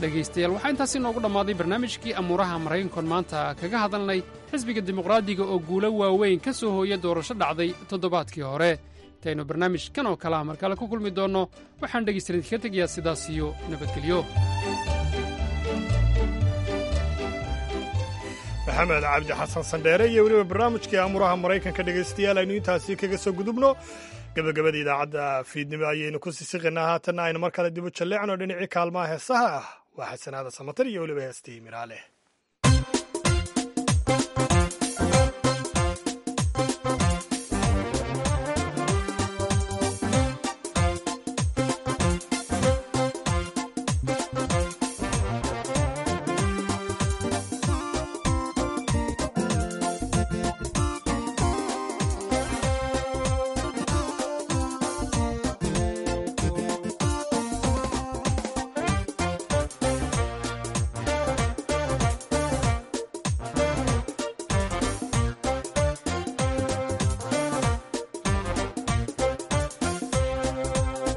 Dhegaystayaal, waxaa intaasi noogu dhammaaday barnaamijkii amuuraha Maraykankoon maanta kaga hadalnay xisbiga Dimuqraadiga oo guulo waaweyn ka soo hooya doorasho dhacday toddobaadkii hore. Intaynu barnaamijkan oo kalea mar kale ku kulmi doonno, waxaan dhegaystayaal idinkaga tegayaa sidaas iyo nabadgelyo. Maxamed Cabdi Xasan Sandheere iyo weliba barnaamijkii amuuraha Maraykanka dhegaystayaal aynu intaasi kaga soo gudubno. Gabagabada idaacadda fiidnimo ayaynu ku sisiqinaa. Haatanna aynu mar kale dib u jalleecno dhinacii kaalmaha heesaha ah. Waa Xasanaada Samatar iyo weliba heestii Miraale.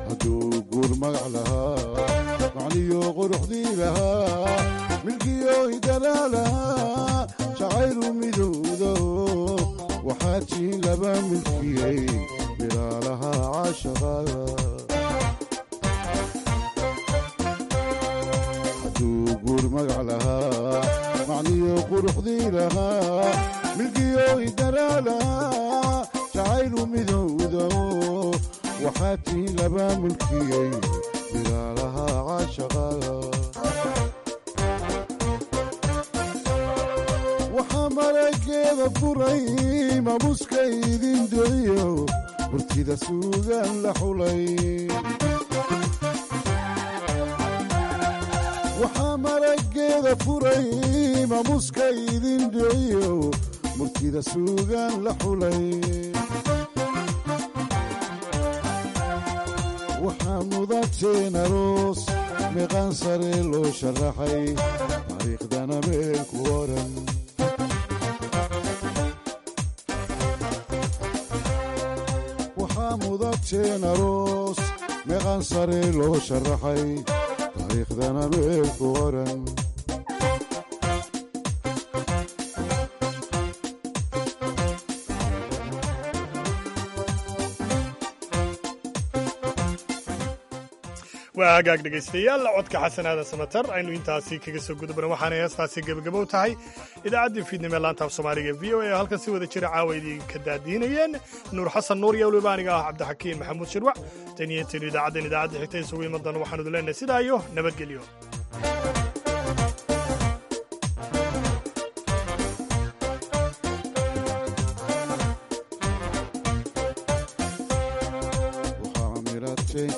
Hadduu guur magac lahaa, macniyo quruxdii lahaa, milkiyo hidanaa lahaa, jacaylu midowdo waxaa jiin laba milkiyey milaalaha caashaqa. Hadduu guur magac lahaa, macniyo quruxdii lahaa, milkiyo hidanaa lahaa, jacaylu midowdo waxaa tiin laba mulkiyey milaalaha caashaqa. Waxaa marageeda furay maamuska idin deliyo murtida suugaan la xulay. Waxaa marageeda furay maamuska idin dhiciyo murtida suugaan la xulay. Waxaa mudateen mudateen aroos meeqaan sare loo sharaxay taariikhdana meel ku oran. Waxaa mudateen aroos meeqaan sare loo sharaxay taariikhdana meel ku oran. Waa hagaag, dhegaystayaal, codka Xasan Aadan Samatar aynu intaasi kaga soo gudubna. Waxaanay heestaasi gebagabow tahay idaacaddii fiidnimo ee laanta af Soomaaliga VOA oo halkan si wada jira caawa idinka daadiinayeen Nuur Xasan Nuur iyo weliba aniga ah Cabdixakiin Maxamuud Shirwac. Tan iyo intaynu idaacaddan idaacadda xigta isugu iman doono, waxaanu idin leenahay sidaa iyo nabadgelyo.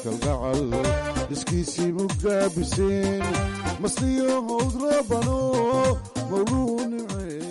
Kalgacal iskiisii mugaabiseen masliyo howd rabano mawluu nimce.